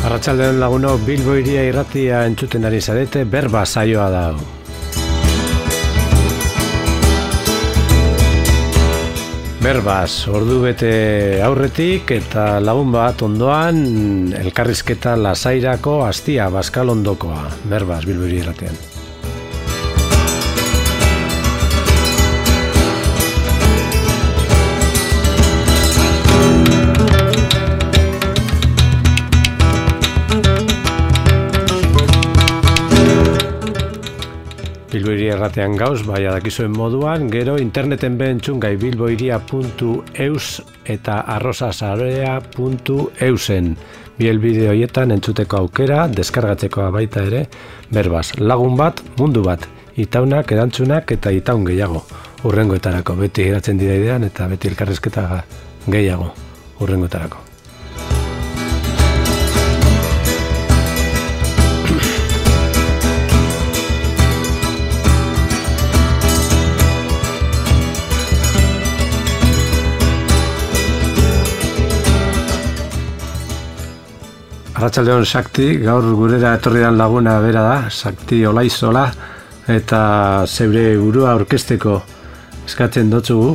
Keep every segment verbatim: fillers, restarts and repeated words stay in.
Arratsaldeon laguno, Bilbo Hiria irratia entzuten ari zarete, berba saioa da. Berbaz, ordu bete aurretik eta lagun bat ondoan elkarrizketa lasairako astia Baskalondokoa. Berbaz, Bilbo Hiria irratian. Bilbo Hiria erratean gauz, bai adakizuen moduan, gero interneten behentzun gai bilbohiria puntu eus eta arrosasarea puntu eusen. Bi helbide horietan entzuteko aukera, deskargatzekoa baita ere, berbaz, lagun bat, mundu bat, itaunak, erantzunak eta itaun gehiago. Hurrengoetarako, beti geratzen dira idean eta beti elkarrizketa gehiago, hurrengoetarako. Arratsaldeon Sakti, gaur gurera etorridan laguna bera da, Sakti Olaizola, eta zeure burua orkesteko eskatzen dotzugu.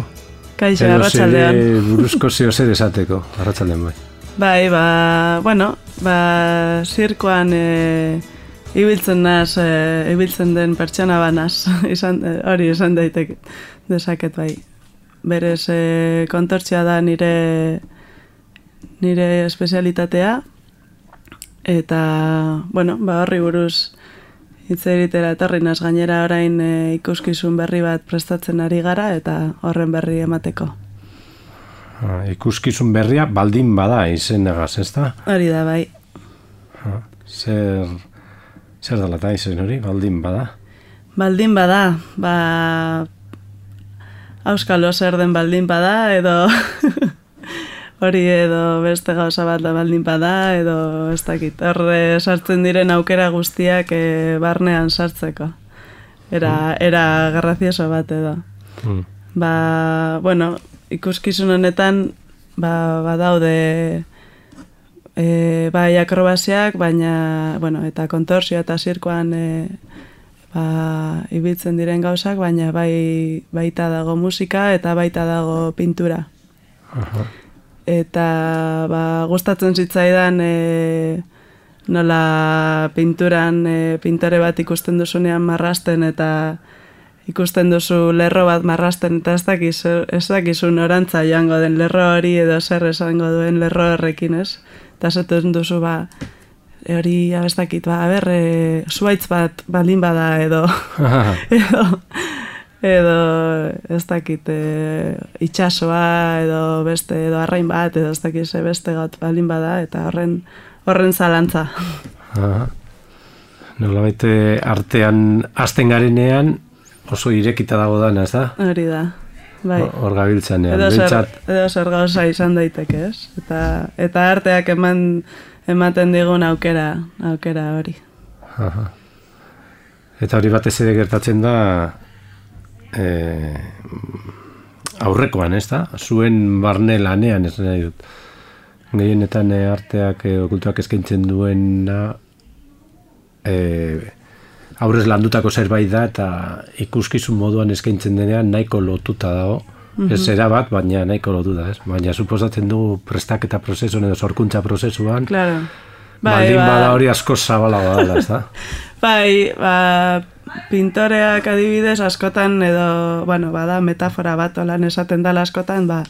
Kaixo, arratsaldeon. Edo zeure buruzko zeo zer esateko, arratsaldeon bai. Bai, ba, bueno, ba, zirkoan e, ibiltzen naz, e, ibiltzen den pertsona banaz, izan, e, hori esan daiteke dezaket bai. Berez e, kontortzia da nire, nire espezialitatea, eta, bueno, ba, horri buruz hitz egitera etorri naz, gainera orain e, ikuskizun berri bat prestatzen ari gara eta horren berri emateko. Ha, ikuskizun berria baldin bada izenagaz, ezta? Hori da, bai. Ha, zer, zer dela eta izen hori, baldin bada? Baldin bada, ba, auskalo zer den baldin bada, edo hori edo beste gauza bat da baldin bada, edo ez dakit, horre sartzen diren aukera guztiak e, barnean sartzeko. Era, era grazioso bat edo. Mm. Ba, bueno, ikuskizun honetan, ba, badaude e, bai akrobasiak, baina, bueno, eta kontorsio eta zirkoan e, ba, ibiltzen diren gauzak, baina bai, baita dago musika eta baita dago pintura. Aha. Eta ba, gustatzen zitzaidan e, nola pinturan e, pintore bat ikusten duzunean marrasten eta ikusten duzu lerro bat marrasten eta ez dakizu, ez dakizu norantza joango den lerro hori edo zer esango duen lerro horrekin, ez? Eta zaten duzu ba, hori ez dakit, ba, aber, e, zuaitz bat baldin bada edo edo edo ez dakit e, itxasoa edo beste edo arrain bat edo ez dakit ze beste gat balin bada eta horren horren zalantza. Aha. Nolabait artean hasten garenean oso irekita dago dana, ez da? Hori da. Bai. Hor gabiltzanean. Edo zer, edo zer gauza izan daiteke, ez? Eta eta arteak eman ematen digun aukera, aukera hori. Aha. Eta hori batez ere gertatzen da Eh, aurrekoan, ez da? Zuen barne lanean, ez nahi dut. Gehienetan eh, arteak eh, okultuak eskaintzen duena eh, aurrez landutako zerbait da eta ikuskizun moduan eskaintzen denean nahiko lotuta dago. Mm-hmm. Ez era bat, baina nahiko lotuta, ez? Baina suposatzen du prestaketa prozesuan edo sorkuntza prozesuan. Claro. Bai, baldin ba... bada hori asko zabalagoa dela, ez da? Bai, ba... pintoreak adibidez askotan edo, bueno, bada metafora bat olan esaten dala askotan, ba,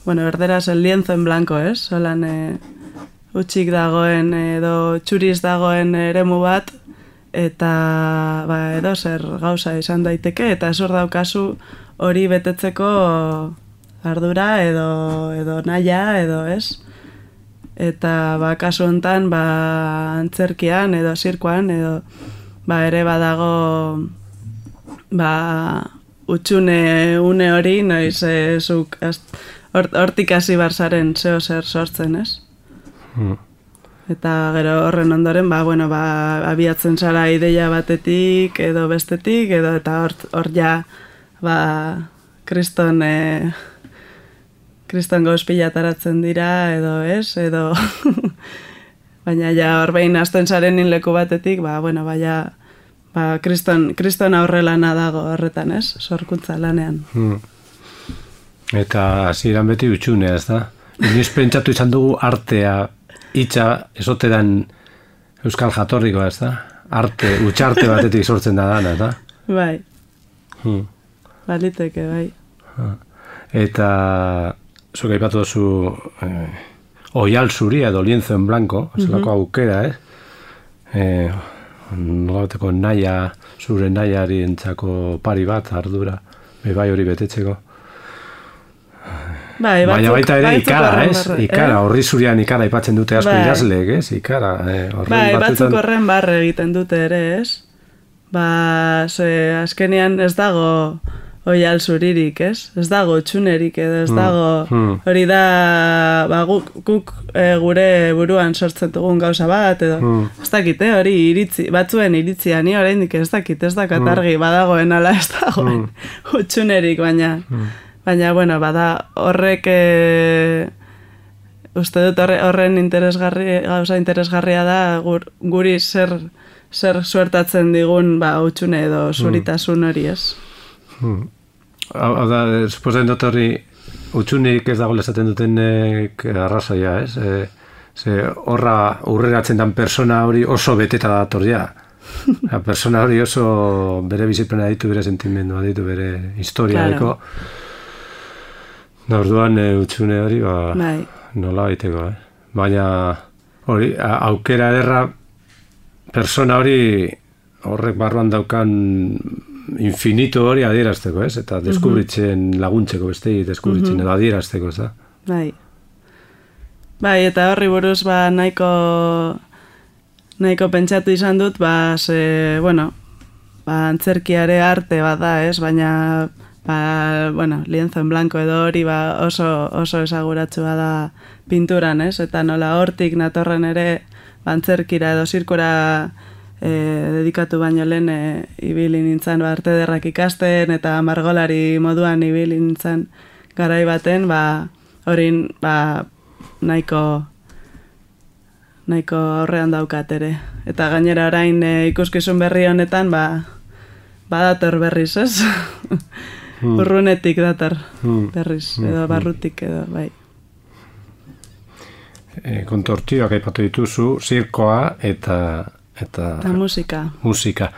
bueno, erderaz el lienzo en blanco, ez? Olan e, utxik dagoen edo txuriz dagoen eremu bat, eta ba, edo zer gauza izan daiteke, eta ez hor daukazu hori betetzeko ardura edo, edo naia edo, ez? Eta ba, kasu hontan, ba, antzerkian edo zirkoan edo ba, ere badago ba, utxune une hori, noiz e, zuk hortik hasi barzaren zeo zer sortzen, ez? Hmm. Eta gero horren ondoren, ba, bueno, ba, abiatzen zara ideia batetik edo bestetik, edo eta hor, hor ja ba, kriston e, kriston gauz pilataratzen dira, edo ez, edo baina ja horbein hasten zarenin leku batetik, ba, bueno, baina ba, kriston, kriston aurrelana dago horretan, ez? Sorkuntza lanean. Hmm. Eta hasieran beti utxunea, ez da? Inoiz pentsatu izan dugu artea, hitza, esoteran euskal jatorrikoa, ez da? Arte, utxarte batetik sortzen da dana, eta? Bai. Hmm. Baliteke, bai. Eta zuk aipatu duzu eh, oial zuria edo lienzo en blanco, zelako aukera, eh? Eh, nolabateko naia, zure naiari entzako pari bat, ardura, bai hori betetzeko. Bai, batzuk, baina baita ere batzuk ikara, horren ez? barre, Ikara, eh? horri zurian ikara aipatzen dute asko Bai. idazleek, ez? Ikara, eh, horren Bai, batzuetan- batzuk horren barre egiten dute ere, ez? Ba, ze, azkenean ez dago oial zuririk, ez? Ez dago txunerik edo ez Hmm, dago, hmm. hori da, ba, guk, guk e, gure buruan sortzen dugun gauza bat, edo, Hmm. ez dakit, eh, hori iritzi, batzuen iritzia, ni oraindik ez dakit, ez dakat argi, badagoen ala ez dagoen utxunerik, baina, baina, bueno, bada horrek, e, uste dut horre, horren interesgarri, gauza interesgarria da, gur, guri zer, zer suertatzen digun, ba, utxune edo zuritasun hori, ez? Hmm. Hau hau da, eh, suposatzen dut hori utxunik ez dago esaten dutenek arrazoia, ez? E, ze horra urreratzen dan persona hori oso beteta dator ja. La persona hori oso bere biziplena ditu, bere sentimendua ditu, bere historia deko. Da orduan e, utxune hori, ba, Bai. nola baiteko, eh? Baina hori, a- aukera ederra persona hori horrek barruan daukan infinito hori adierazteko, ez? Eta deskubritzen laguntzeko bestei, deskubritzen edo adierazteko, ez da? Bai. Bai, eta horri buruz, ba, nahiko, nahiko pentsatu izan dut, ba, ze, bueno, ba, antzerkiare arte bat da, ez? Baina, ba, bueno, lienzo en blanco edo hori, ba, oso, oso esaguratsua da pinturan, ez? Eta nola hortik natorren ere, ba, antzerkira edo zirkura e, dedikatu baino lehen e, ibili nintzen ba, arte ederrak ikasten eta margolari moduan ibili nintzen garai baten, ba, hori ba, nahiko nahiko aurrean daukat ere. Eta gainera orain e, ikuskizun berri honetan, ba, badator berriz, ez? Hmm. Urrunetik dator Hmm. berriz, edo barrutik edo, bai. E, kontortioak aipatu dituzu, zirkoa eta eta Eta musika. musika.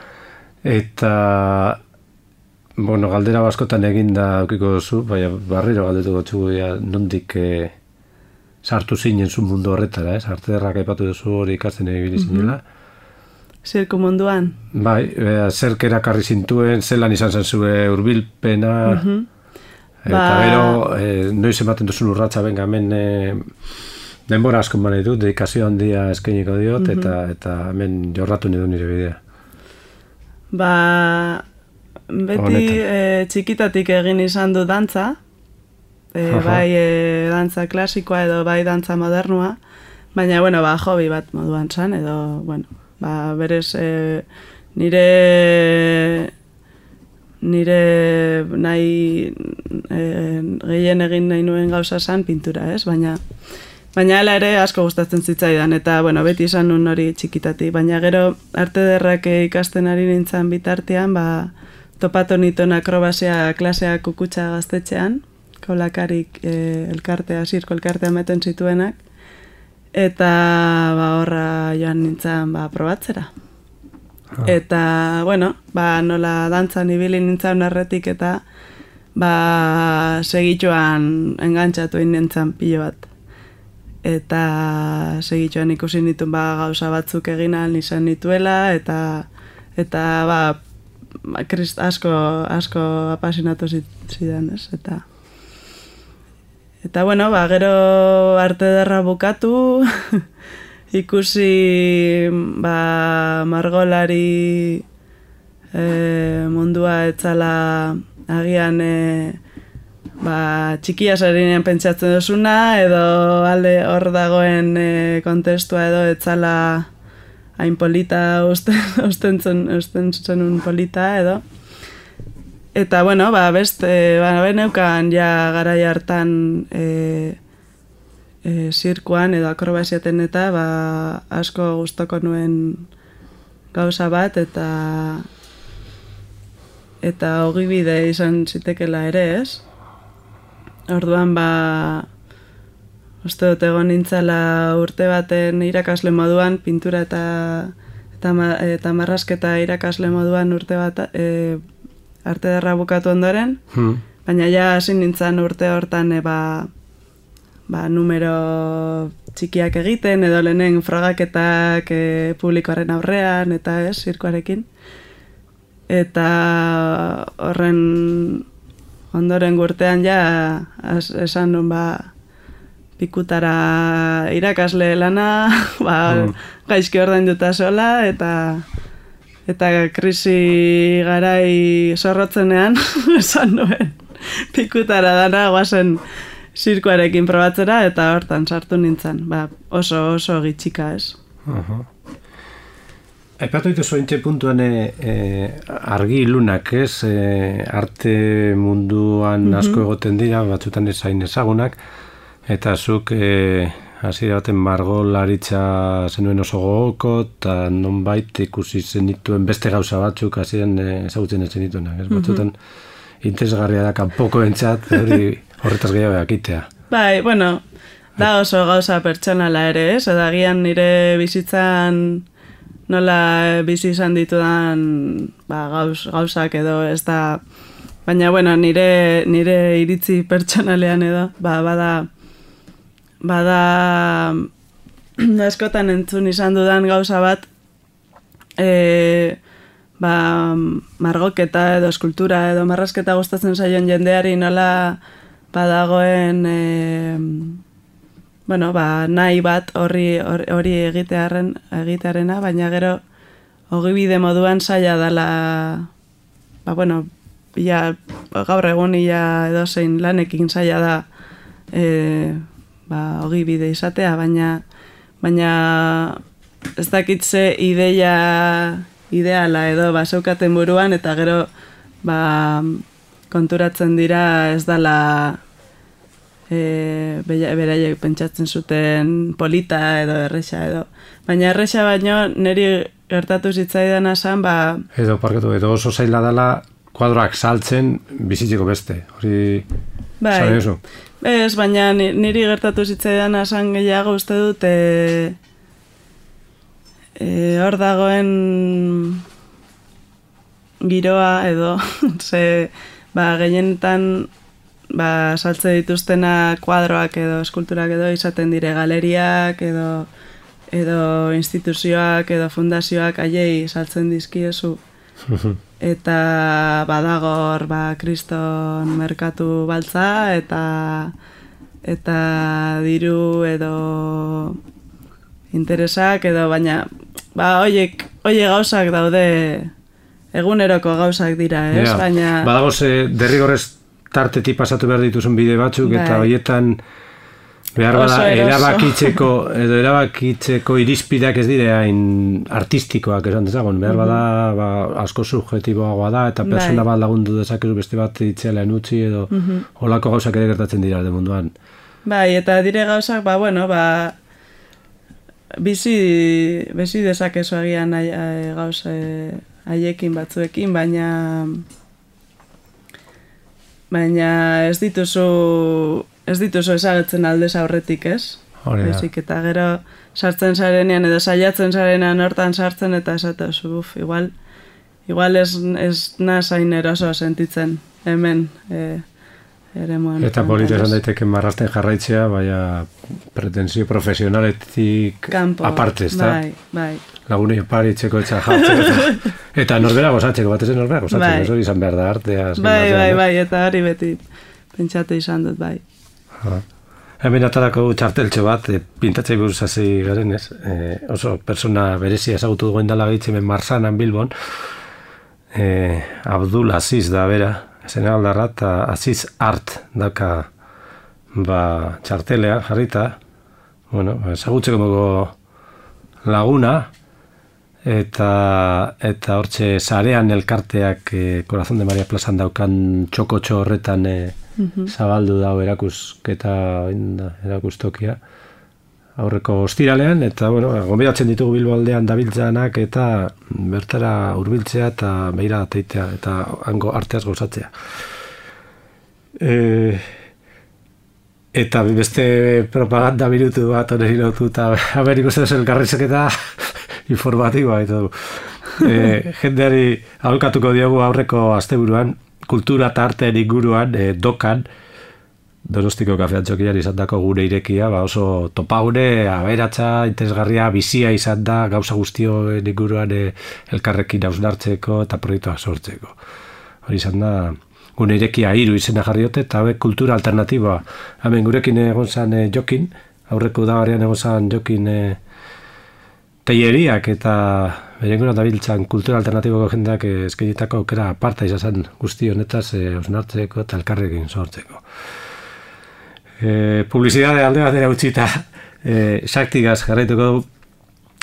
Eta bueno, galdera askotan eginda aukiko duzu, baina barriro galdetuko txugu ja, nondik e, sartu zinen zu mundu horretara, ez? Arte ederrak aipatu duzu hori ikasten ibili zinela. Zirku munduan. Bai, e, zerk erakarri zintuen, zelan izan zen zure hurbilpena, eta Ba- gero, e, noiz ematen duzun urratsa benga hemen e, denbora asko eman nahi dut, dedikazio handia eskainiko diot, eta eta hemen jorratu nahi du nire bidea. Ba, beti Honetan. e, txikitatik egin izan du dantza, e, Aha. bai e, dantza klasikoa edo bai dantza modernua, baina, bueno, ba, hobi bat moduan zan, edo, bueno, ba, berez e, nire nire nahi e, gehien egin nahi nuen gauza zan pintura, ez? Baina Baina hala ere asko gustatzen zitzaidan, eta bueno, beti izan nun hori txikitati. Baina gero arte ederrak ikasten ari nintzen bitartean, ba, topatu nituen akrobazia klasea kukutsa gaztetxean, kolakarik e, elkartea, zirko elkartea meten zituenak, eta ba, horra joan nintzen ba, probatzera. Eta, bueno, ba, nola dantzan ibili nintzen erretik eta ba, segituan engantzatu nintzen pilo bat. Eta segituan ikusi nituen ba, gauza batzuk egin ahal izan nituela, eta eta ba, ba krist, asko, asko apasionatu zidan, ez? Eta, eta bueno, ba, gero arte ederra bukatu, ikusi ba, margolari e, mundua etzala agian e, ba, txikia zarinean pentsatzen duzuna, edo alde hor dagoen e, kontestua edo etzala hain polita usten, usten, zen, usten zenun polita edo. Eta, bueno, ba, beste, ba, beneukan ja garai hartan e, e, zirkuan edo akrobasiaten eta ba, asko gustoko nuen gauza bat eta eta ogibide izan zitekela ere, ez? Orduan ba uste dut egon nintzala urte baten irakasle moduan, pintura eta eta, eta marrasketa irakasle moduan urte bat e, arte derra bukatu ondoren, hmm. baina ja hasi nintzen urte hortan e, ba, ba, numero txikiak egiten, edo lehenen frogaketak e, publikoaren aurrean, eta ez, zirkoarekin. Eta horren ondoren urtean ja as, esan nun ba pikutara irakasle lana, ba, mm. gaizki ordainduta sola, eta eta krisi garai zorrotzenean esan nuen pikutara dana guazen zirkoarekin probatzera, eta hortan sartu nintzen, ba, oso oso gitxika ez. Uh-huh. Aipatu dituzu ointxe puntuan e, e, argi ilunak, ez? E, arte munduan mm-hmm. asko egoten dira, batzutan ezain ezagunak, eta zuk e, hasi baten margolaritza zenuen oso gogoko, eta nonbait ikusi zenituen beste gauza batzuk hasien e, ezagutzen ez zenituenak, ez? Batzutan mm-hmm. interesgarria da kanpoko entzat, hori horretaz gehiago ekitea. Bai, bueno, da oso gauza pertsonala ere, ez? Eta agian nire bizitzan nola bizi izan ditudan ba, gauz, gauzak edo ez da, baina bueno, nire, nire iritzi pertsonalean edo, ba, bada, bada askotan entzun izan dudan gauza bat, e, ba, margoketa edo eskultura edo marrasketa gustatzen zaion jendeari nola badagoen e, bueno, ba, nahi bat horri hori egitearen egitearena, baina gero ogibide moduan zaila dela, ba, bueno, ia, gaur egun ia edozein lanekin zaila da e, ba, ogibide izatea, baina baina ez dakitze ideia ideala edo ba, zeukaten buruan, eta gero ba, konturatzen dira ez dela E, beraiek pentsatzen zuten polita edo erresa edo. Baina erresa baino niri gertatu zitzaidan esan, ba... Edo, parketu, edo oso zaila dela kuadroak saltzen bizitzeko beste. Hori... Bai, ez, baina niri gertatu zitzaidan esan gehiago uste dut e, e, hor dagoen giroa edo ze, ba, gehienetan ba, saltze dituztena kuadroak edo eskulturak edo izaten dire galeriak edo edo instituzioak edo fundazioak haiei saltzen dizkiezu eta badagor ba, kriston merkatu baltza eta eta diru edo interesak edo baina ba, oiek, oie gauzak daude eguneroko gauzak dira, ez? Yeah. Baina... Badago ze derrigorrez tartetik pasatu behar dituzun bide batzuk, bai. Eta horietan behar bada erabakitzeko edo erabakitzeko irizpideak ez dire hain artistikoak esan dezagon, behar bada ba, asko subjetiboagoa da eta persona bai. Bat lagundu dezakezu beste bat itxelan utzi edo uh-huh. Olako gauzak ere gertatzen dira de munduan. Bai, eta dire gauzak, ba, bueno, ba, bizi, bizi dezakezu agian gauza haiekin batzuekin, baina baina ez dituzu ez dituzu ezagutzen aldez aurretik, ez? Bezik, eta gero sartzen zarenean edo saiatzen zarenean hortan sartzen eta esatuzu, uf, igual igual ez, ez nazain eroso sentitzen hemen e, ere moan. Eta polita esan daiteke marrasten jarraitzea, baina pretensio profesionaletik aparte, ez da? Bai, bai. Lagunei paritzeko etxa jartzeko eta, eta norbera gozatzeko, bat ez norbera gozatzeko, bai. Ez hori izan behar da artea. Bai, bai, bai, eta hori beti pentsatu izan dut, bai. Ha. Hemen atarako txarteltxo bat, e, pintatzei buruz hasi garen, ez? E, oso persona berezia ezagutu duen dala gehitze hemen Marsanan Bilbon, e, Abdul Aziz da bera, zen aldarra, eta Aziz Art daka ba, txartelea jarrita, bueno, ezagutzeko laguna, eta eta hortxe sarean elkarteak e, Corazón de María plazan daukan txokotxo horretan e, mm-hmm. zabaldu dau erakusketa erakustokia aurreko ostiralean, eta bueno, gonbidatzen ditugu Bilbo aldean dabiltzanak eta bertara hurbiltzea eta beira teitea eta hango arteaz gozatzea. E, eta beste propaganda minutu bat oneri lotu eta haber ikusten zen elkarrizketa informatiboa eta du. E, jendeari aholkatuko diogu aurreko asteburuan kultura eta arteen inguruan e, dokan Donostiko kafeantzokian izan dako gure irekia, ba oso topaune, aberatsa, interesgarria, bizia izan da, gauza guztioen inguruan e, elkarrekin hausnartzeko eta proiektuak sortzeko. Hori izan da, gure irekia hiru izena jarriote, eta be, kultura alternatiboa. Hemen gurekin egon zan e, Jokin, aurreko udabarrian egon zan Jokin e, teieriak eta berenguran dabiltzan kultura alternatiboko jendeak e, eskainitako aukera aparta izan zen guzti honetaz e, hausnartzeko eta elkarrekin sortzeko. E, publizidade alde batera utzita e, saktigaz jarraituko du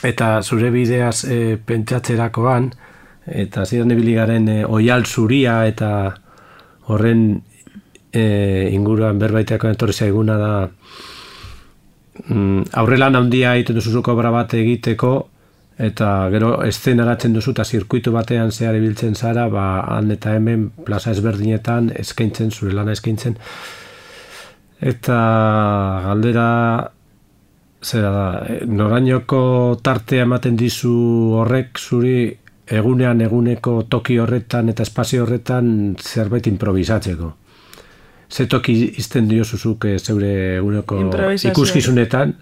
eta zure bideaz e, pentsatzerakoan eta zidan ibiligaren e, oial zuria eta horren e, inguruan berbaiteako etorri zaiguna da mm, aurrelan handia egiten duzuzuko obra bat egiteko eta gero eszenaratzen duzu eta zirkuitu batean zehar ibiltzen zara ba, han eta hemen plaza ezberdinetan eskaintzen, zure lana eskaintzen. Eta galdera zera da, norainoko tartea ematen dizu horrek zuri egunean eguneko toki horretan eta espazio horretan zerbait improvisatzeko. Ze toki izten diozuzuk zeure eguneko ikuskizunetan,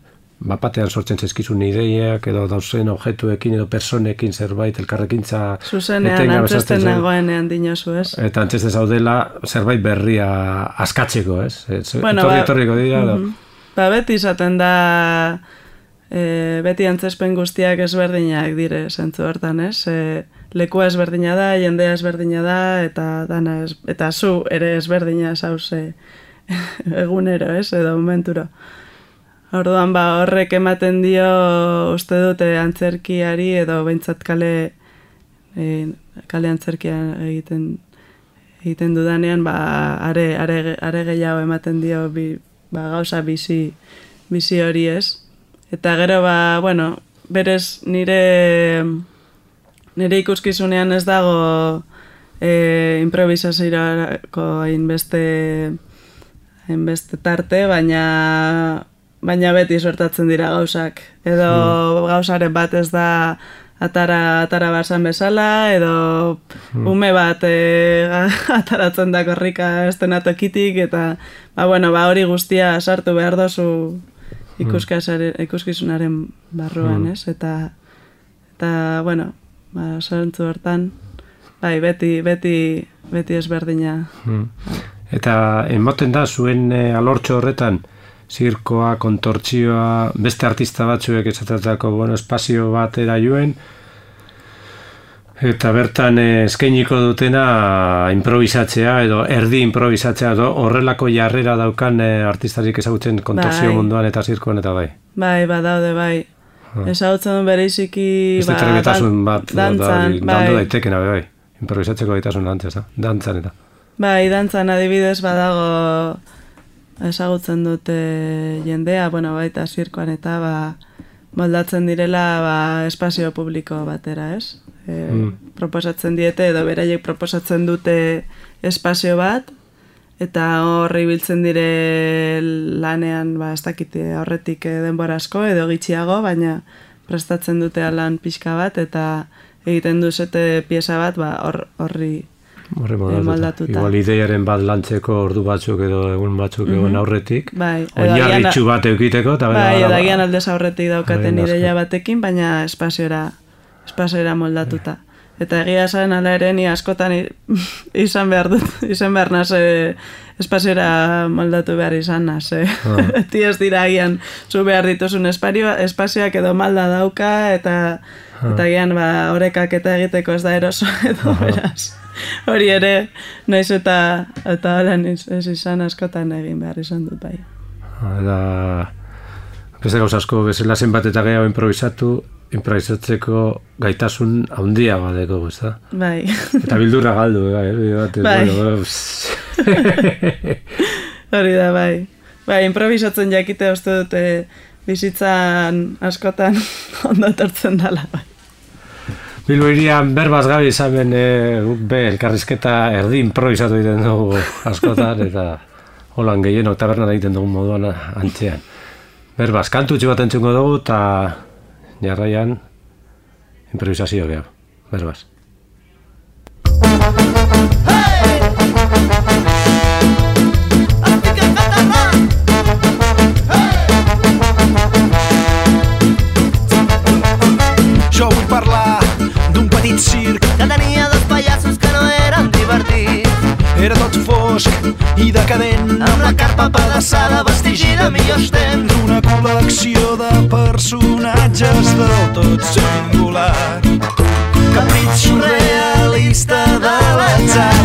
bapatean sortzen zezkizun ideiak edo dauzen objektuekin edo personekin zerbait elkarrekintza zuzenean antzesten nagoenean dinozu, ez? Eta antzesten zaudela zerbait berria askatzeko, ez? Bueno, etorri etorriko dira ba, ba, beti izaten da e, beti antzespen guztiak ezberdinak dire zentzu hortan, ez? E, lekua ezberdina da, jendea ezberdina da eta dana ez, eta zu ere ezberdina zauze egunero, ez? Edo momenturo. Orduan ba horrek ematen dio uste dute antzerkiari edo behintzat kale e, kale antzerkia egiten egiten dudanean ba are are are gehiago ematen dio bi, ba, gauza bizi bizi hori ez. Eta gero ba bueno, berez nire nire ikuskizunean ez dago e, improvisaziorako hainbeste hainbeste tarte, baina baina beti sortatzen dira gauzak. Edo hmm. gauzaren bat ez da atara, atara basan bezala, edo hmm. ume bat e, ataratzen da korrika estenatokitik, eta ba, bueno, ba, hori guztia sartu behar dozu ikuskizunaren barruan, ez? Eta, eta bueno, ba, sortzu hortan, bai, beti, beti, beti ezberdina. Hmm. Eta ematen da zuen e, alortxo horretan, zirkoa, kontortzioa, beste artista batzuek esatatako bueno, espazio batera joen, eta bertan eskainiko dutena improvisatzea edo erdi improvisatzea edo horrelako jarrera daukan artistarik ezagutzen kontortzio bai. Munduan eta zirkoan eta bai. Bai, badaude bai. Ah. Ezagutzen duen bereiziki ba, dan, bat, dantzan, da, dandu bai. Daitekena bai, improvisatzeko gaitasun dantzaz, da? Dantzan eta. Bai, dantzan adibidez badago ezagutzen dute jendea, bueno, baita zirkoan eta ba, moldatzen direla ba, espazio publiko batera, ez? E, mm. Proposatzen diete edo beraiek proposatzen dute espazio bat eta horri biltzen dire lanean, ba, ez dakite horretik denbora asko edo gitxiago, baina prestatzen dute lan pixka bat eta egiten duzete pieza bat ba, hor, horri Horre moldatuta. Igual ideiaren bat lantzeko ordu batzuk edo egun batzuk mm-hmm. egon aurretik. Bai. Oinarritxu bat eukiteko. Bai, edo agian aldez aurretik daukaten ideia batekin, baina espaziora, espaziora moldatuta. Eta egia zaren ala ere ni askotan izan behar dut, izan behar naz espaziora moldatu behar izan naz. Ah. Eti ez dira agian zu behar dituzun espazioak edo malda dauka eta ah. eta agian ba, orekak eta egiteko ez da eroso edo beraz. Hori ere, naiz eta eta horan ez izan askotan egin behar izan dut bai. Eta beste gauz asko bezala zenbat eta gehiago improvisatu improvisatzeko gaitasun handia badeko, ez da? Bai. Eta bildurra galdu, bai. Bai. Hori da, bai. Bai, improvisatzen jakite uste dute bizitzan askotan ondo etortzen dela, bai. Bilbo irian berbaz gabi izamen e, be, elkarrizketa erdi improvisatu egiten dugu askotan, eta holan gehieno tabernan egiten dugu moduan antzean. Berbaz, kantutxu bat entzungo dugu, eta jarraian improvisazio gehiago. Berbaz. Jo vull parlar d'un petit circ que tenia dos pallassos que no eren divertits. Era tot fosc i decadent, amb la carpa pedaçada, vestigi de millors temps. d'una col·lecció de personatges del tot singular. Capritx surrealista de l'atzar.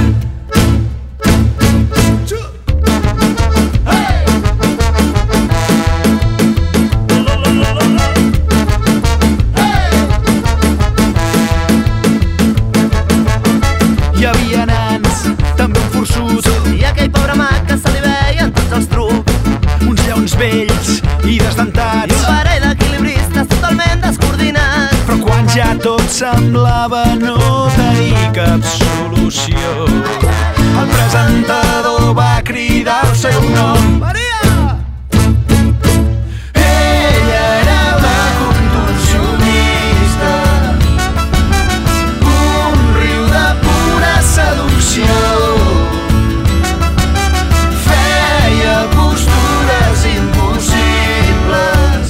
Hi havia nans, també un forçut, I aquell pobre mag que se li veien tots els trucs. uns lleons vells i I desdentats. un parell d'equilibristes totalment descoordinats. Però quan ja tot semblava no tenir cap solució, el presentador va cridar el seu nom. Maria! Ella era una contorsionista, un riu de pura seducció. Feia postures impossibles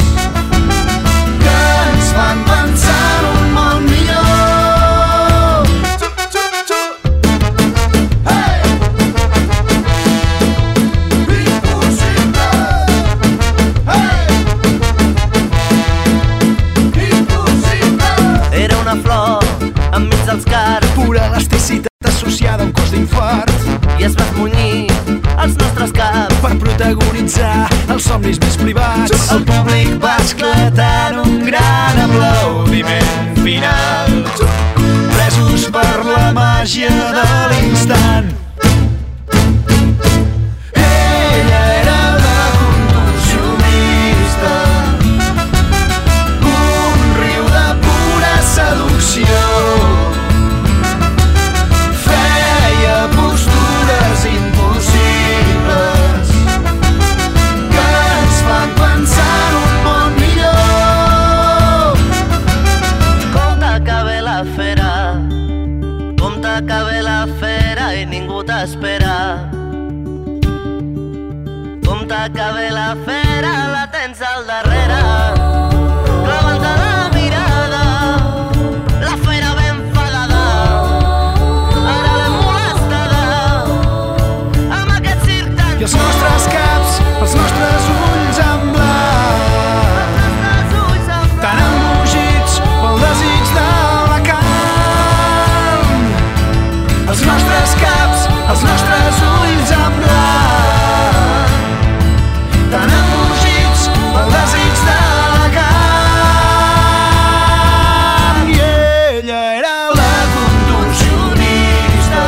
que ens fan pensar en un món millor. Hey! Impossible! Hey! Impossible! Era una flor enmig dels cars Pura elasticitat associada a un cos d'infart i es va esmunyir als nostres caps. per protagonitzar els somnis més privats. El públic va esclatar en un gran aplaudiment final, presos per la màgia de l'instant. Ella era una contorsionista, un riu de pura seducció. Feia postures impossibles que ens fan pensar en un món millor. Compte que ve la fera, compte que ve la fera i ningú t'espera. Compte que ve la fera, la tens al darrere, clavant-te la mirada, la fera ben enfadada. Ara l'hem molestada amb aquest circ tan I els nostres caps, els nostres ulls en blanc, nostres ulls en tan embogits pel desig de la carn. Els nostres caps, els nostres ulls en blanc, tan embogits pel desig de la carn. I ella era la contorsionista,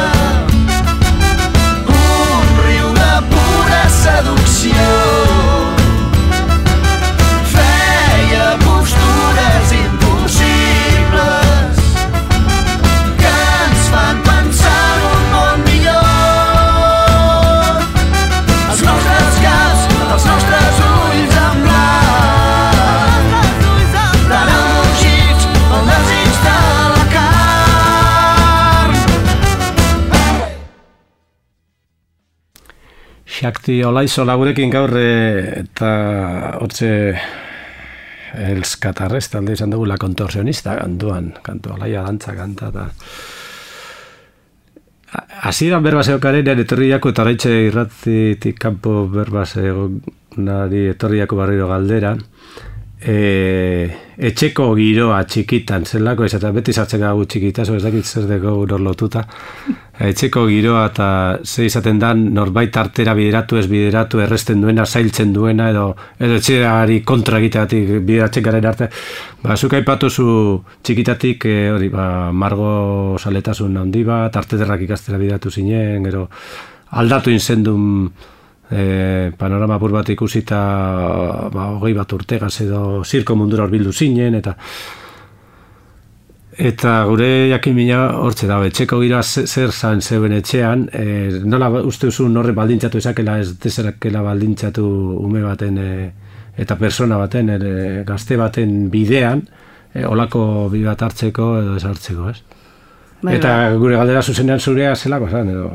un riu de pura seducció. Feia postures impossibles que ens fan pensar en un món millor. Els nostres caps, els nostres ulls en blanc, tan embogits pel desig de la carn. Shakti Olaizola gurekin gaur eh, eta hortze elskatarrez talde izan dugu La Contorsionista kantuan, kantu alaia dantza kanta eta hasieran berba zeokarenean etorriako eta oraitxe irratitik kanpo berba zeonari etorriako barriro galdera e, etxeko giroa txikitan, zelako ez, eta beti sartzen gagu txikita, ez dakit zer dugu nor lotuta, etxeko giroa eta ze izaten dan norbait artera bideratu, ez bideratu, erresten duena, zailtzen duena, edo, edo etxeari kontra egiteatik bideratzen garen arte. Ba, zuk aipatuzu txikitatik, e, hori, ba, margo saletasun handi bat, artederrak ikastera bideratu zinen, gero aldatu inzendun E, panorama apur bat ikusita ba, hogei bat urtegaz edo zirko mundura horbildu zinen eta eta gure jakimina hortze da, etxeko gira zer zan zeuen etxean, e, nola uste duzu horre baldintzatu ezakela ez dezerakela baldintzatu ume baten e, eta persona baten, e, gazte baten bidean, e, olako bi bat hartzeko edo ez hartzeko, ez? Bai, eta bai. Gure galdera zuzenean zurea zelako zan, edo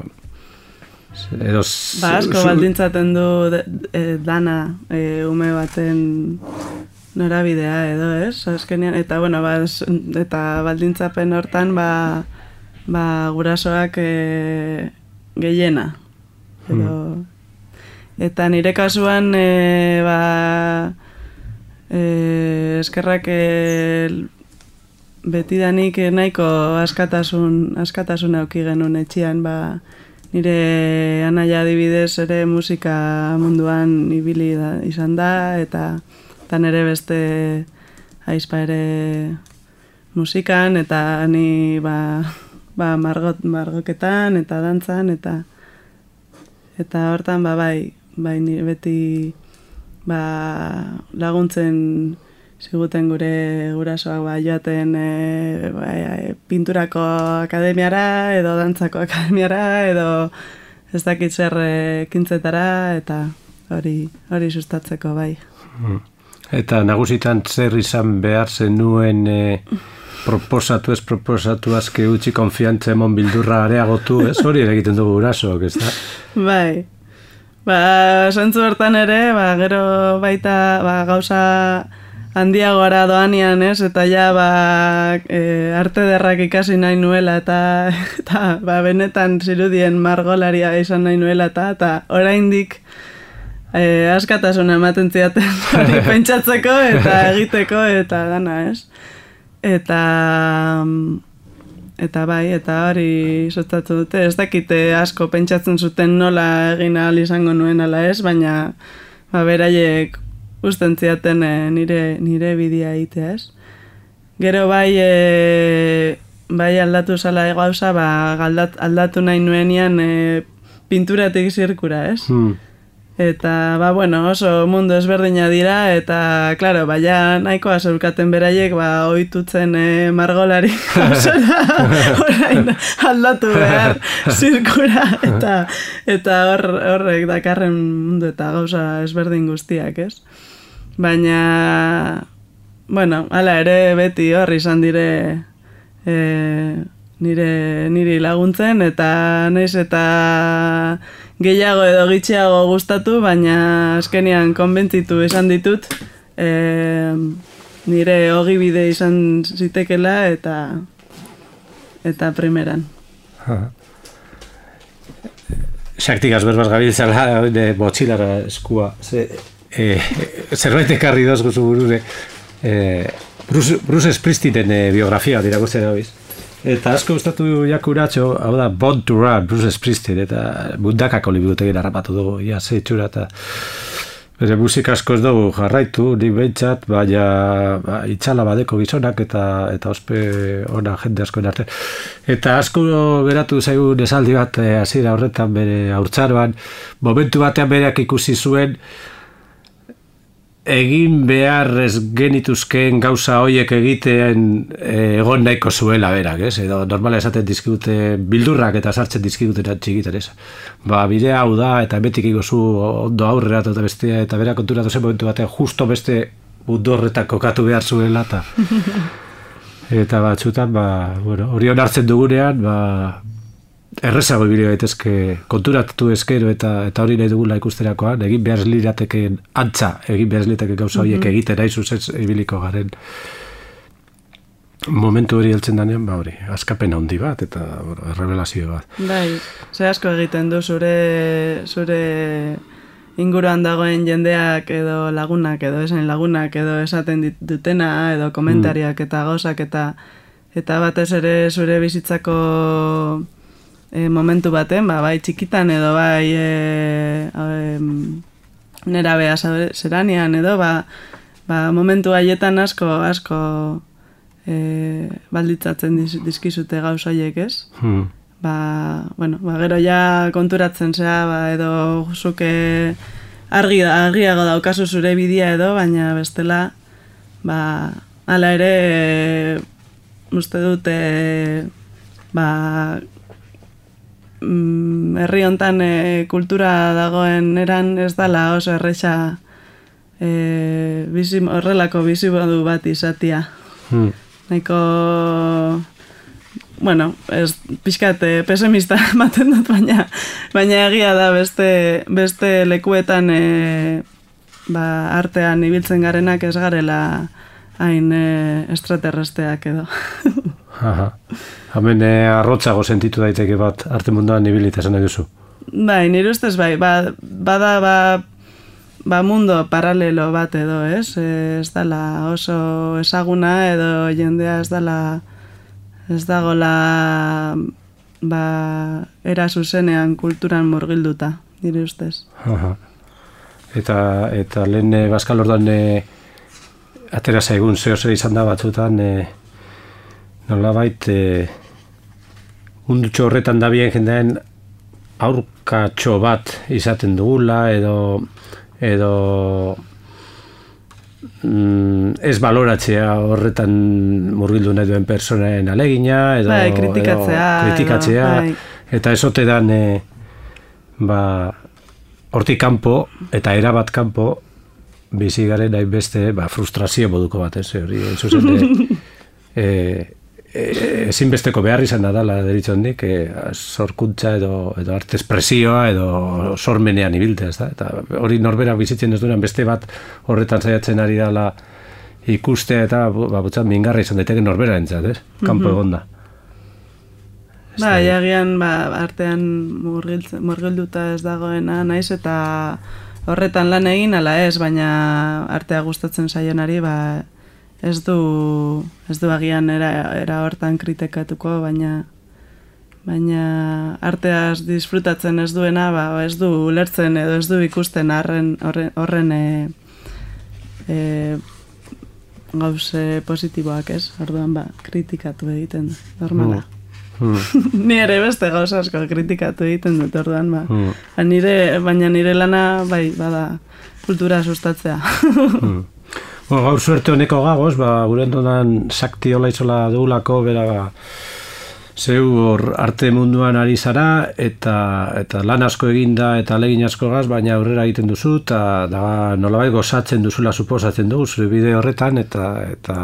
edo ba, asko baldintzaten du de, e, dana e, ume baten norabidea edo, ez? Azkenean, eta bueno, ba, eta baldintzapen hortan ba, ba gurasoak e, gehiena edo hmm. Eta nire kasuan e, ba e, eskerrak e, betidanik nahiko askatasun askatasun auki genuen etxean, ba nire anaia adibidez ere musika munduan ibili da, izan da, eta, eta nire beste aizpa ere musikan, eta ni ba, ba margot, margoketan, eta dantzan, eta eta hortan ba bai, bai nire beti ba, laguntzen ziguten gure gurasoak ba, joaten e, ba, e, pinturako akademiara edo dantzako akademiara edo ez dakit zer ekintzetara eta hori hori sustatzeko bai. Eta nagusitan zer izan behar zenuen e, proposatu ez proposatu azke utzi konfiantza emon bildurra areagotu, ez hori ere egiten dugu gurasoak, ez da? Bai. Ba, santzu hortan ere, ba, gero baita ba, gauza handiagora doanian, ez? Eta ja, ba, e, arte derrak ikasi nahi nuela, eta, eta ba, benetan zirudien margolaria izan nahi nuela, eta, eta oraindik e, askatasuna ematen ziaten hori pentsatzeko, eta egiteko, eta dana, ez? Eta, eta bai, eta hori sustatzen dute, ez dakite asko pentsatzen zuten nola egin ahal izango nuen ala ez, baina ba, beraiek usten ziaten e, nire, nire bidea egitea, ez? Gero bai, e, bai aldatu zala gauza, ba, aldat, aldatu nahi nuenian e, pinturatik zirkura, ez? Hmm. Eta, ba, bueno, oso mundu ezberdina dira, eta, klaro, ba, ja nahikoa zeurkaten beraiek, ba, ohitutzen e, margolari gauzara, orain aldatu behar zirkura, eta, eta hor, horrek dakarren mundu eta gauza ezberdin guztiak, ez? Baina, bueno, hala ere beti hor izan dire e, nire, niri laguntzen, eta naiz eta gehiago edo gitxiago gustatu, baina azkenean konbentzitu esan ditut e, nire ogibide izan zitekela eta eta primeran. Xaktik azberbaz gabiltzala de botxilara eskua. Ze, e, zerbait ekarri doz guzu burure. E, Bruce, Bruce Springsteenen e, biografia dirakurtzen dagoiz. Eta asko gustatu jakuratxo, hau da, Born to Run, Bruce Springsteen, eta bundakako liburutegin harrapatu dugu, ia zeitxura, eta bere musika asko ez dugu jarraitu, nik behintzat, baina ba, itxala badeko gizonak, eta eta ospe ona jende askoen arte. Eta asko geratu zaigun esaldi bat, hasiera horretan bere haurtzaroan, momentu batean bereak ikusi zuen, egin behar ez genituzkeen gauza hoiek egiten egon nahiko zuela berak, ez? Edo normala esaten dizkigute bildurrak eta sartzen dizkiguten txikiten, ez? Ba, bidea hau da, eta betik iguzu ondo aurrera eta bestea, eta berak konturatu zen momentu batean justo beste mundu horretan kokatu behar zuela, eta eta batzutan, ba, bueno, hori onartzen dugunean, ba, errezago ibili gaitezke konturatu eskero eta eta hori nahi dugula ikusterakoan, egin behar lirateken antza, egin behar lirateken gauza horiek mm-hmm. egiten nahi zuzen ibiliko garen momentu hori heltzen danean, ba hori, askapen handi bat eta bueno, errebelazio bat. Bai, ze asko egiten du zure zure inguruan dagoen jendeak edo lagunak edo esan lagunak edo esaten dutena edo komentariak eta gauzak eta eta batez ere zure bizitzako e, momentu baten, ba, bai txikitan edo bai e, e, nerabea zeranean edo ba, ba, momentu haietan asko asko e, balditzatzen diz, dizkizute gauzaiek, ez? Hmm. Ba, bueno, ba, gero ja konturatzen zea, ba, edo zuke argi, argiago daukazu zure bidea edo, baina bestela, ba, hala ere, e, uste dute, ba, mm, herri hontan e, kultura dagoen eran ez dala oso erresa e, bizi, horrelako bizimodu bat izatia. Hmm. Nahiko... Bueno, ez pixkat pesimista ematen dut, baina, baina egia da beste, beste lekuetan e, ba, artean ibiltzen garenak ez garela hain e, extraterresteak edo. Aha. Hemen e, arrotzago sentitu daiteke bat arte munduan ibilita esan nahi duzu. Bai, nire ustez bai, ba, bada ba, ba mundo paralelo bat edo, ez? Ez dala oso ezaguna edo jendea ez dala... Ez dagoela ba, era zuzenean kulturan murgilduta, nire ustez. Aha. Eta, eta lehen e, Baskal orduan e, atera zaigun zeo zer izan da batzutan e, nolabait e, mundutxo horretan da bien jendean aurkatxo bat izaten dugula edo edo ez baloratzea horretan murgildu nahi duen personen alegina edo, bai, kritikatzea, edo, kritikatzea edo, bai. Eta ez ote dan e, ba, hortik kanpo eta erabat kanpo bizi garen nahi beste ba, frustrazio moduko bat, ez hori zuzen e, e, ezinbesteko behar izan da dala deritzondik e, sorkuntza edo, edo arte espresioa edo sormenean ibiltea, ez da? Eta hori norberak bizitzen ez duenan beste bat horretan saiatzen ari dala ikustea eta ba, butzat mingarra izan daiteke norbera entzat, ez? Kanpo egonda. Ba, jagian ba, artean murgilduta ez dagoena naiz eta horretan lan egin ala ez, baina artea gustatzen zaionari ba, ez du ez du agian era, era hortan kritikatuko, baina baina arteaz disfrutatzen ez duena, ba, ez du ulertzen edo ez du ikusten horren horren, horren e, e, gauze positiboak, ez? Orduan ba, kritikatu egiten da, normala. Mm. Hmm. Ni ere beste gauza asko kritikatu egiten dut orduan, ba. Hmm. Nire, baina nire lana bai, bada kultura sustatzea. hmm. Bueno, gaur suerte honeko gagoz, ba, gure entonan sakti hola izola dugulako, bera, ba, zeu hor arte munduan ari zara, eta, eta lan asko eginda eta alegin asko gaz, baina aurrera egiten duzu, eta da, nolabait gozatzen duzula suposatzen dugu, zure bide horretan, eta eta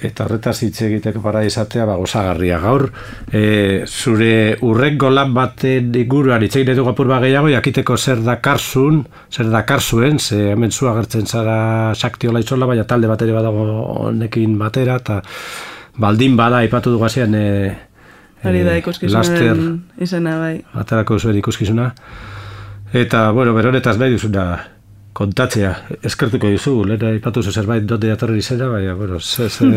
eta horretaz hitz egiteko para izatea ba, gozagarria gaur. E, zure urrengo lan baten inguruan hitz egin dugu apur bat gehiago, jakiteko zer dakarzun, zer dakarzuen, ze hemen zu agertzen zara sakti hola itzola, baina talde bat ere badago honekin batera, eta baldin bada aipatu dugu hasean e, hori da ikuskizunen izena bai. Aterako zuen ikuskizuna. Eta, bueno, beronetaz nahi duzuna kontatzea, eskertuko dizu, lehen aipatu zu zerbait donde datorren izena, baina, bueno, ze, ze,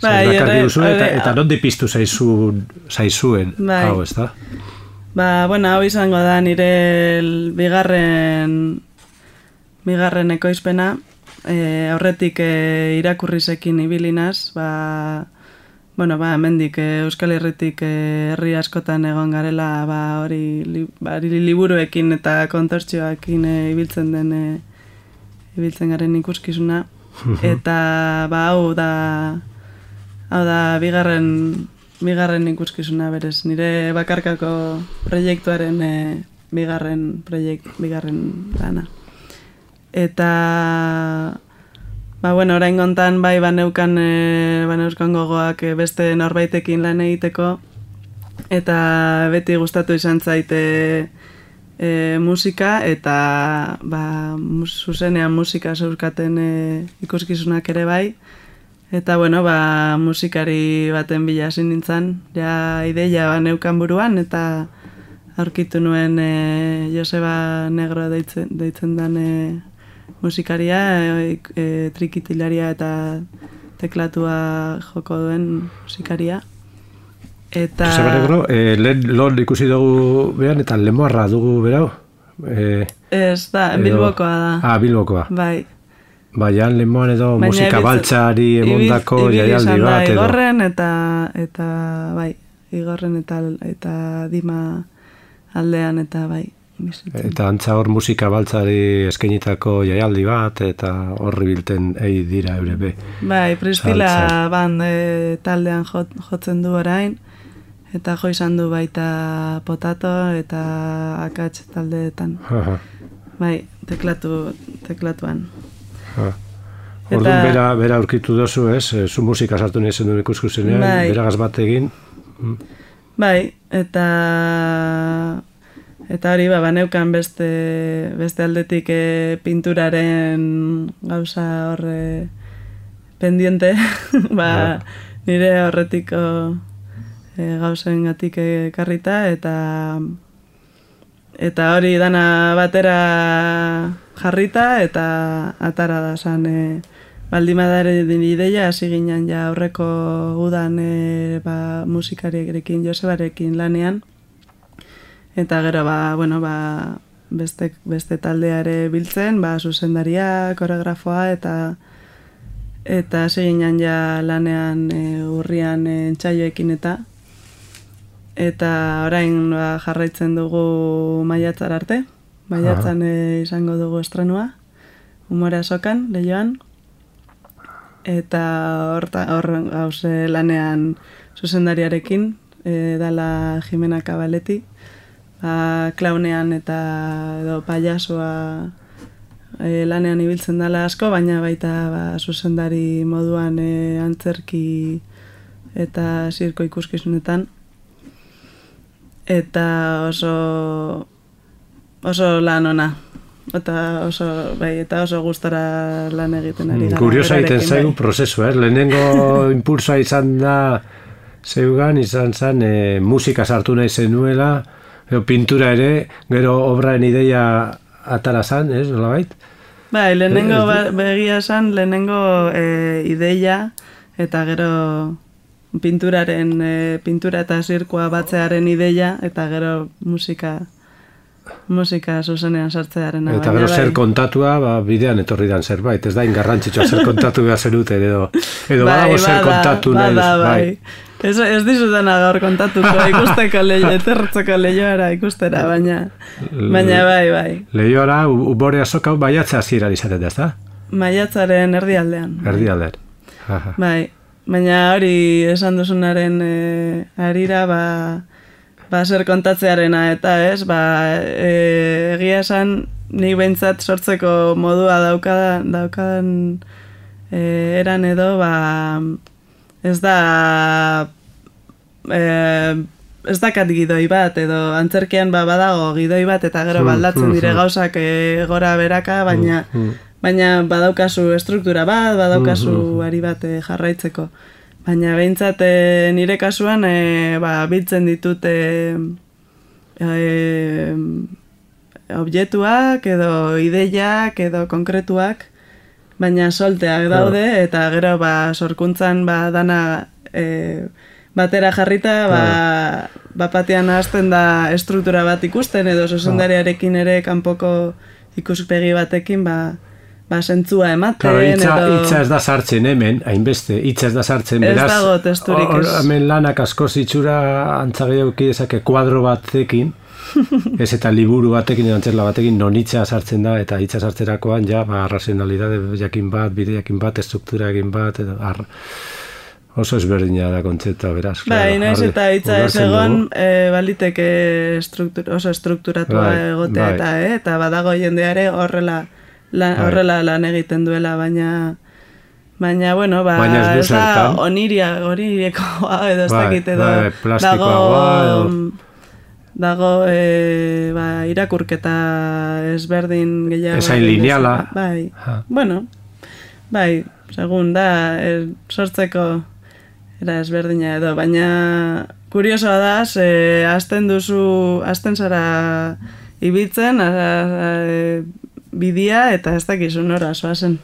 ze dakarri duzu, eta, eta nondi piztu zaizuen, zaizuen, bai. Hau, ez da? Ba, bueno, hau izango da nire bigarren, bigarren ekoizpena, e, aurretik e, irakurrizekin ibilinaz, ba, bueno, ba, hemendik Euskal Herritik herri askotan egon garela, ba, hori li, ba, liburuekin eta kontortzioekin e, ibiltzen den e, ibiltzen garen ikuskizuna. Eta ba, hau da hau da bigarren bigarren ikuskizuna berez. Nire bakarkako proiektuaren e, bigarren proiekt, bigarren lana. Eta ba, bueno, orain gontan bai baneukan, e, baneuzkan gogoak e, beste norbaitekin lan egiteko, eta beti gustatu izan zaite e, musika, eta ba, mus, zuzenean musika zeuzkaten e, ikuskizunak ere bai, eta bueno, ba, musikari baten bila hasi nintzen, ja ideia baneukan buruan, eta aurkitu nuen e, Joseba Negro deitzen, deitzen dan e, musikaria, e, e, trikitilaria eta teklatua joko duen musikaria. Eta... Joseba Negro, e, lehen lon ikusi dugu behan, eta lemoarra dugu berau? E, Ez da, edo... Bilbokoa da. Ah, Bilbokoa. Bai. Baian lemoan edo baina musika ebiz, baltzari emondako jaialdi bat edo. Igorren eta, eta bai, Igorren eta, eta Dima aldean eta bai. Bizitzen. Eta antza hor musika baltzari eskenitako jaialdi bat eta horri bilten ei dira eure be. Bai, Pristila band e, taldean jot, jotzen du orain eta jo izan du baita Potato eta Akats taldeetan. Aha. Bai, teklatu, teklatuan. Orduan eta... bera, bera aurkitu dozu, ez? Zu musika sartu nahi zen duen ikuskusenean, bai. Beragaz bat egin. Mm. Bai, eta eta hori ba, baneukan beste, beste aldetik e, pinturaren gauza horre pendiente, ba, ja. Nire horretiko e, gauzen gatik ekarrita, eta eta hori dana batera jarrita, eta atara da zan e, baldimadare din ideia, hasi ginen ja aurreko udan e, ba, musikariekin, Josebarekin lanean, eta gero ba, bueno, ba, beste, beste taldeare biltzen, ba, zuzendaria, koreografoa, eta eta hasi ginen ja lanean e, urrian e, entsaioekin eta eta orain ba, jarraitzen dugu maiatzar arte. Maiatzan e, izango dugu estrenua, Umore Azokan, Leioan, eta hor gauze lanean zuzendariarekin, e, dala Jimena Kabaleti, ba, klaunean eta edo paiasua e, lanean ibiltzen dala asko, baina baita ba, zuzendari moduan e, antzerki eta zirko ikuskizunetan. Eta oso... oso lan ona, eta oso, bai, eta oso gustora lan egiten ari gara. Kuriosa egiten zaigu prozesu, eh? Lehenengo impulsoa izan da zeugan, izan zen e, musika sartu nahi zenuela, edo pintura ere, gero obraen ideia atara zan, ez, nolabait? Bai, lehenengo ba, begia zan, lehenengo e, ideia, eta gero pinturaren, e, pintura eta zirkoa batzearen ideia, eta gero musika... musika zuzenean sartzearen. Eta gero zer kontatua, ba, bidean etorri dan zerbait, ez da ingarrantzitsua zer kontatu behar zeruten, edo, edo bai, badago zer kontatu nahi. Bada, bai. Ez, ez dizutena gaur kontatuko, ikusteko leio, etertzeko leioara ikustera, baina, baina bai, bai. Leioara, Umore Azoka maiatza hasieran izaten da, ez da? Maiatzaren erdialdean. Erdialdean. Bai, baina hori esan duzunaren e, harira, ba, ba, zer kontatzearena, eta ez, ba, e, egia esan, nik behintzat sortzeko modua daukadan, daukadan e, eran edo, ba, ez da, e, ez dakat gidoi bat, edo antzerkian ba, badago gidoi bat, eta gero baldatzen dire gauzak e, gora beraka, baina, baina badaukazu estruktura bat, badaukazu ari bat e, jarraitzeko. Baina behintzat e, nire kasuan e, ba, biltzen ditut e, e, objektuak edo ideiak edo konkretuak, baina solteak daude eta gero ba, sorkuntzan ba, dana e, batera jarrita ba, bapatean hasten da estruktura bat ikusten edo zuzendariarekin ere kanpoko ikuspegi batekin ba, ba, sentzua ematen. Claro, itza, edo... itza ez da sartzen hemen, hainbeste, itza ez da sartzen, beraz. Ez dago testurik ez. Hemen lanak asko zitsura antzageuki dezake kuadro batekin, ez eta liburu batekin, edo antzerla batekin, non itza sartzen da, eta itza sartzerakoan, ja, ba, razionalidade jakin bat, bide jakin bat, estruktura jakin bat, edo, ar... oso ezberdina da kontzeptua, beraz. Ba, inoiz eta itza ez egon, e, baliteke struktur, oso estrukturatua bai, egotea, bai. Eta, eh? Eta badago jendeare horrela, La, horrela lan egiten duela, baina baina, bueno, ba, ez da oniria, oniriekoa edo ez dakit edo dago edo... dago e, ba, irakurketa ezberdin gehiago. Ezain lineala. Bai, ha. Bueno, bai, segun da, e, sortzeko era ezberdina edo, baina kuriosoa da, ze hasten duzu, hasten zara ibiltzen, a, a, bidia eta ez dakizu nora zoazen.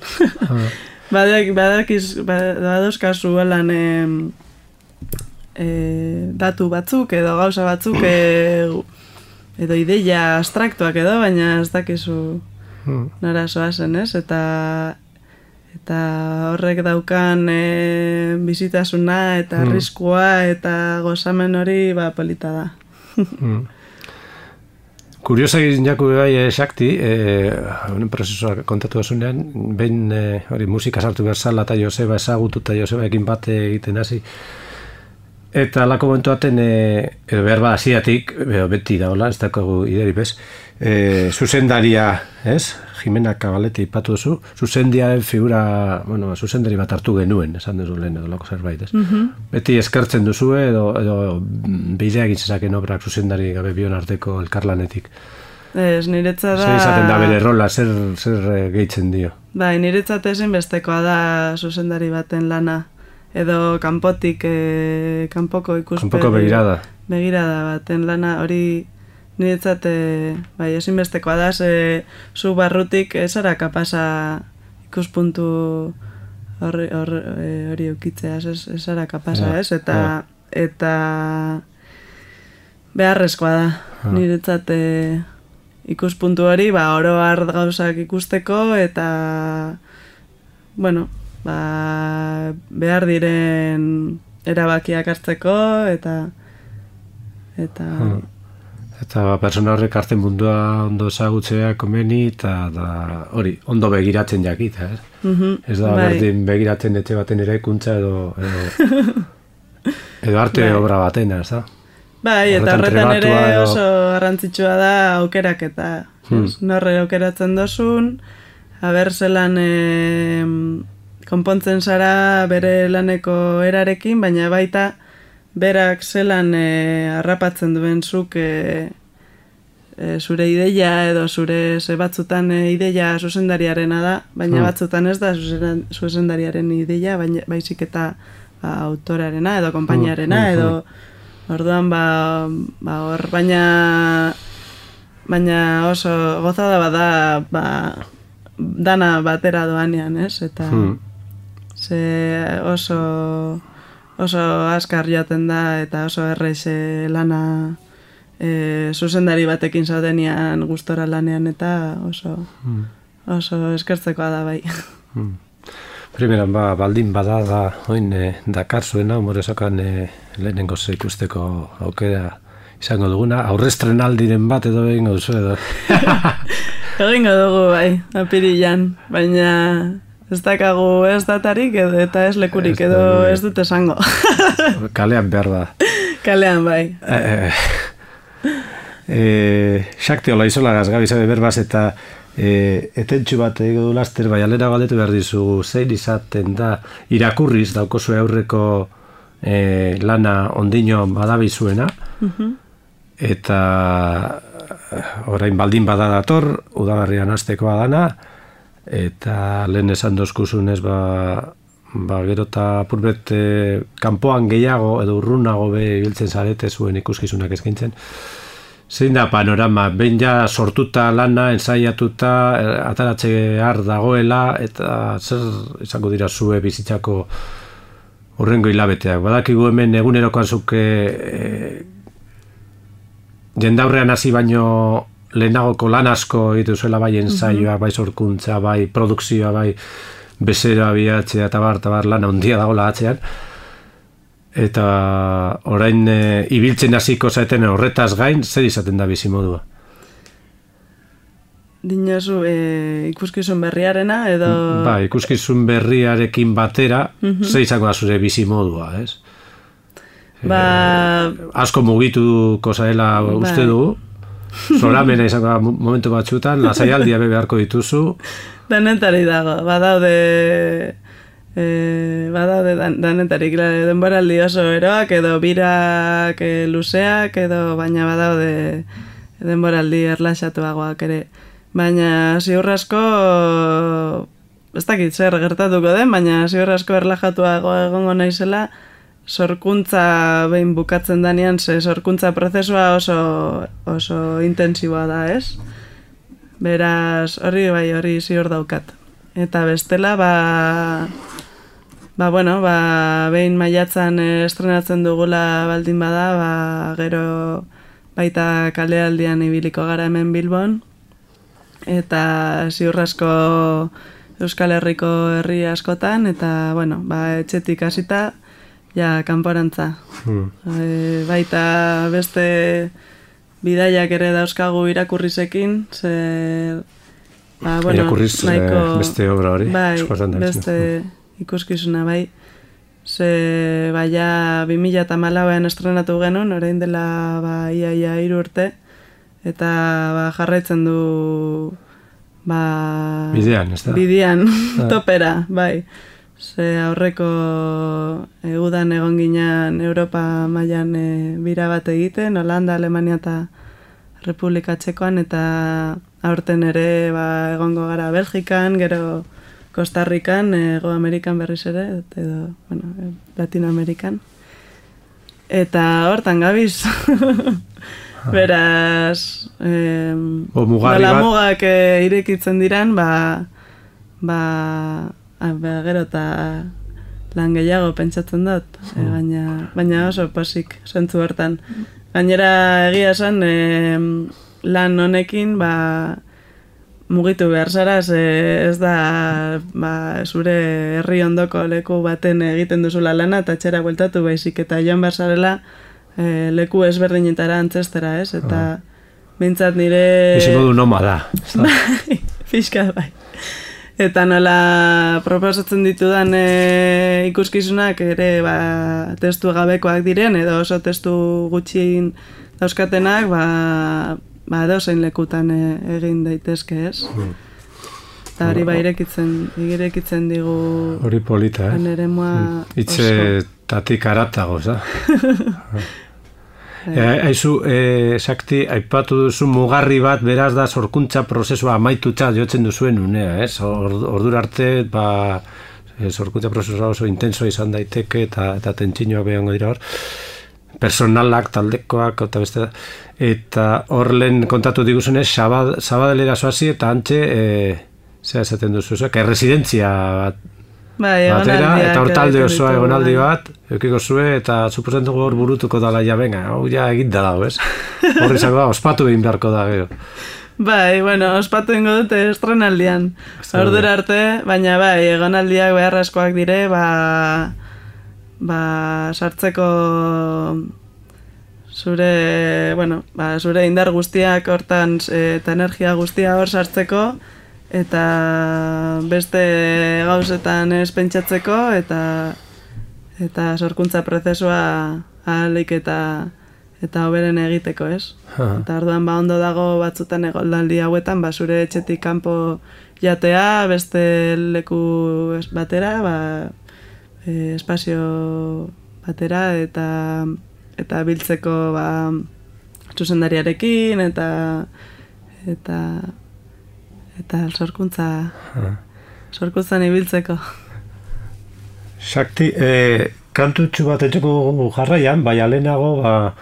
Badak, badakiz, badauskazu lan e, e, datu batzuk edo gauza batzuk e, edo ideia abstraktuak edo, baina ez dakizu nora zoazen, ez? Eta eta horrek daukan e, bizitasuna eta arriskua eta gozamen hori ba, polita da. mm. Kuriosa egin jaku bai, eh, Xakti, eh, honen prozesua kontatu dasunean, behin eh, hori musika sartu berzala eta Joseba ezagutu eta Joseba ekin bat egiten hasi. Eta lako momentu baten, eh, edo behar ba hasiatik, beti da hola, ez dakogu ideri bez, eh, zuzendaria, ez? Jimena Kabalete ipatu duzu, zuzendiaren figura, bueno, zuzendari bat hartu genuen, esan duzu lehen edo lako zerbait, ez? Mm-hmm. Beti eskertzen duzu edo, edo bidea egin zezaken obrak zuzendari gabe bion arteko elkarlanetik. Ez, niretza da... Zer izaten da bere rola, zer, zer gehitzen dio? Bai, niretzat ezinbestekoa da zuzendari baten lana. Edo kanpotik, e, kanpoko ikuspegi... Kanpoko begirada. Begirada baten lana, hori... Niretzat, e, bai, ezinbestekoa da, ze zu barrutik ez ara kapasa ikuspuntu hori hori eukitzea, ez ara kapasa, ez? Eta, eta beharrezkoa da, niretzat e, ikuspuntu hori, ba, oro har gauzak ikusteko, eta, bueno, ba, behar diren erabakiak hartzeko, eta, eta... Hmm. Eta persona horrek arten mundua ondo ezagutzea komeni eta hori, ondo begiratzen jakita, ez? Mm-hmm, ez da bai. Berdin begiratzen etxe baten eraikuntza edo edo, edo arte bai. Obra batena, ez da? Bai, eta horretan ere edo... oso garrantzitsua da aukerak eta hmm. norre aukeratzen dozun, haber zelan e, konpontzen zara bere laneko erarekin, baina baita berak zelan e, harrapatzen duen zuk e, e, zure ideia edo zure ze batzutan e, ideia zuzendariarena da, baina hmm. batzutan ez da zuzendariaren ideia, baina, baizik eta ba, autorarena edo konpainiarena hmm. edo orduan ba, ba hor, baina baina oso gozada bada ba, dana batera doanean, ez? Eta hmm. ze oso oso askar joaten da eta oso errez lana e, zuzendari batekin zaudenian gustora lanean eta oso mm. oso eskertzekoa da bai. Mm. Primeran, ba, baldin bada da oin e, Dakar zuena, humoresokan e, lehenengo ikusteko aukera izango duguna, aurrestrenaldiren bat edo egingo duzu edo. Egingo dugu bai, apirilan, baina... Ez dakagu ez datarik edo eta ez lekurik ez edo da, ez dut esango. Kalean behar da. Kalean bai. Eh, eh, Xakti hola izola gazgabi zabe berbaz eta eh, etentxu bat ego du laster bai alera galdetu behar dizu zein izaten da irakurriz daukozu aurreko eh, lana ondino badabizuena uh-huh. eta orain baldin bada dator udaberrian hastekoa dana eta lehen esan dozkuzunez ba, ba gero eta purbet e, kanpoan gehiago edo urrunago be ibiltzen zarete zuen ikuskizunak eskaintzen. Zein da panorama, behin ja sortuta lana, ensaiatuta, ataratze har dagoela eta zer izango dira zue bizitzako hurrengo hilabeteak. Badakigu hemen egunerokoan zuke e, jendaurrean hasi baino lehenagoko lan asko egitu zuela bai ensaioa, bai sorkuntza, bai produkzioa, bai bezera bihatzea eta bar, eta bar lana ondia dagoela atzean. Eta orain e, ibiltzen hasiko zaeten horretaz gain, zer izaten da bizimodua? Dinozu, e, ikuskizun berriarena edo... Ba, ikuskizun berriarekin batera, uh-huh. zer izango da zure bizimodua, ez? Ba... E, asko mugituko zaela ba. Uste dugu. Zoramena izango momentu batzutan, lasaialdia beharko dituzu. Danetari dago, badaude e, badaude dan, danetarik denboraldi oso eroak edo birak e, luzeak edo baina badaude denboraldi erlaxatuagoak ere. Baina ziur asko ez dakit zer gertatuko den, baina ziur asko erlaxatuago egongo naizela sorkuntza behin bukatzen danean, ze sorkuntza prozesua oso, oso intensiboa da, ez? Beraz, hori bai, hori ziur daukat. Eta bestela, ba, ba bueno, ba, behin maiatzan estrenatzen dugula baldin bada, ba, gero baita kalealdian ibiliko gara hemen Bilbon, eta ziur asko Euskal Herriko herri askotan, eta, bueno, ba, etxetik hasita, ja, kanporantza. Hmm. E, baita beste bidaiak ere dauzkagu irakurrizekin, ze... Ba, bueno, irakurriz nahiko, beste obra hori? Bai, beste ikuskizuna, bai. Ze, baia, bi mila hamalauean estrenatu genuen, orain dela, ba, ia, ia, hiru urte, eta, ba, jarraitzen du, ba... Bidean, ez da? Bidean, topera, bai. Ze aurreko e, udan egon ginean Europa mailan e, bira bat egiten, Holanda, Alemania eta Republika Txekoan, eta aurten ere ba, egongo gara Belgikan, gero Costa Rican, Ego Amerikan berriz ere, edo, bueno, Latinoamerikan. Eta hortan gabiz. Beraz, eh, nola mugak e, irekitzen diran, ba, ba, Ba, gero eta lan gehiago pentsatzen dut, e, baina, baina oso pasik zentzu hortan. Gainera egia esan, e, lan honekin ba, mugitu behar zara, ez da ba, zure herri ondoko leku baten egiten duzula lana eta txera bueltatu baizik, eta joan behar zarela e, leku ezberdinetara antzestera, ez? Eta bintzat nire... Biziko du noma da. Bai, pixka bai. Eta nola proposatzen ditudan e, ikuskizunak ere ba, testu gabekoak diren, edo oso testu gutxien dauzkatenak, ba, ba dozein lekutan e, egin daitezke, ez? Mm. Eta hori ba irekitzen, irekitzen digu... Hori polita, eh? Aneremua mm. Itxe tatik aratago, za? Haizu, e, Sakti, aipatu duzu mugarri bat, beraz da sorkuntza prozesua amaitutzat jotzen duzuen unea, ez? Ordura arte, ba, sorkuntza prozesua oso intenso izan daiteke, eta, eta tentsinoak behango dira hor. Personalak, taldekoak, eta beste da. Eta hor lehen kontatu diguzunez, Sabadelera zoazi, eta antxe, e, zera esaten duzu, zera, erresidentzia bat, bai, batera, eta hor talde osoa egonaldi bat, eukiko zue, eta suposen dugu hor burutuko dala, ja, venga, hau ja egin da dago, ez? Hor izango da, ospatu egin beharko da, gero. Bai, bueno, ospatu ingo dute estrenaldian, ordura arte, baina bai, egonaldiak beharrezkoak dire, ba, ba, sartzeko zure, bueno, ba, zure indar guztiak hortan, eta energia guztia hor sartzeko, eta beste gauzetan ez pentsatzeko, eta eta sorkuntza prozesua ahalik eta eta hoberen egiteko, ez? Ha. Eta orduan ba ondo dago batzutan egoldaldi hauetan, ba zure etxetik kanpo jatea, beste leku batera, ba e, espazio batera, eta eta biltzeko ba zuzendariarekin, eta eta eta sorkuntza sorkuntzan ibiltzeko. Sakti, eh, kantutxu bat etxeko jarraian, bai alenago, ba,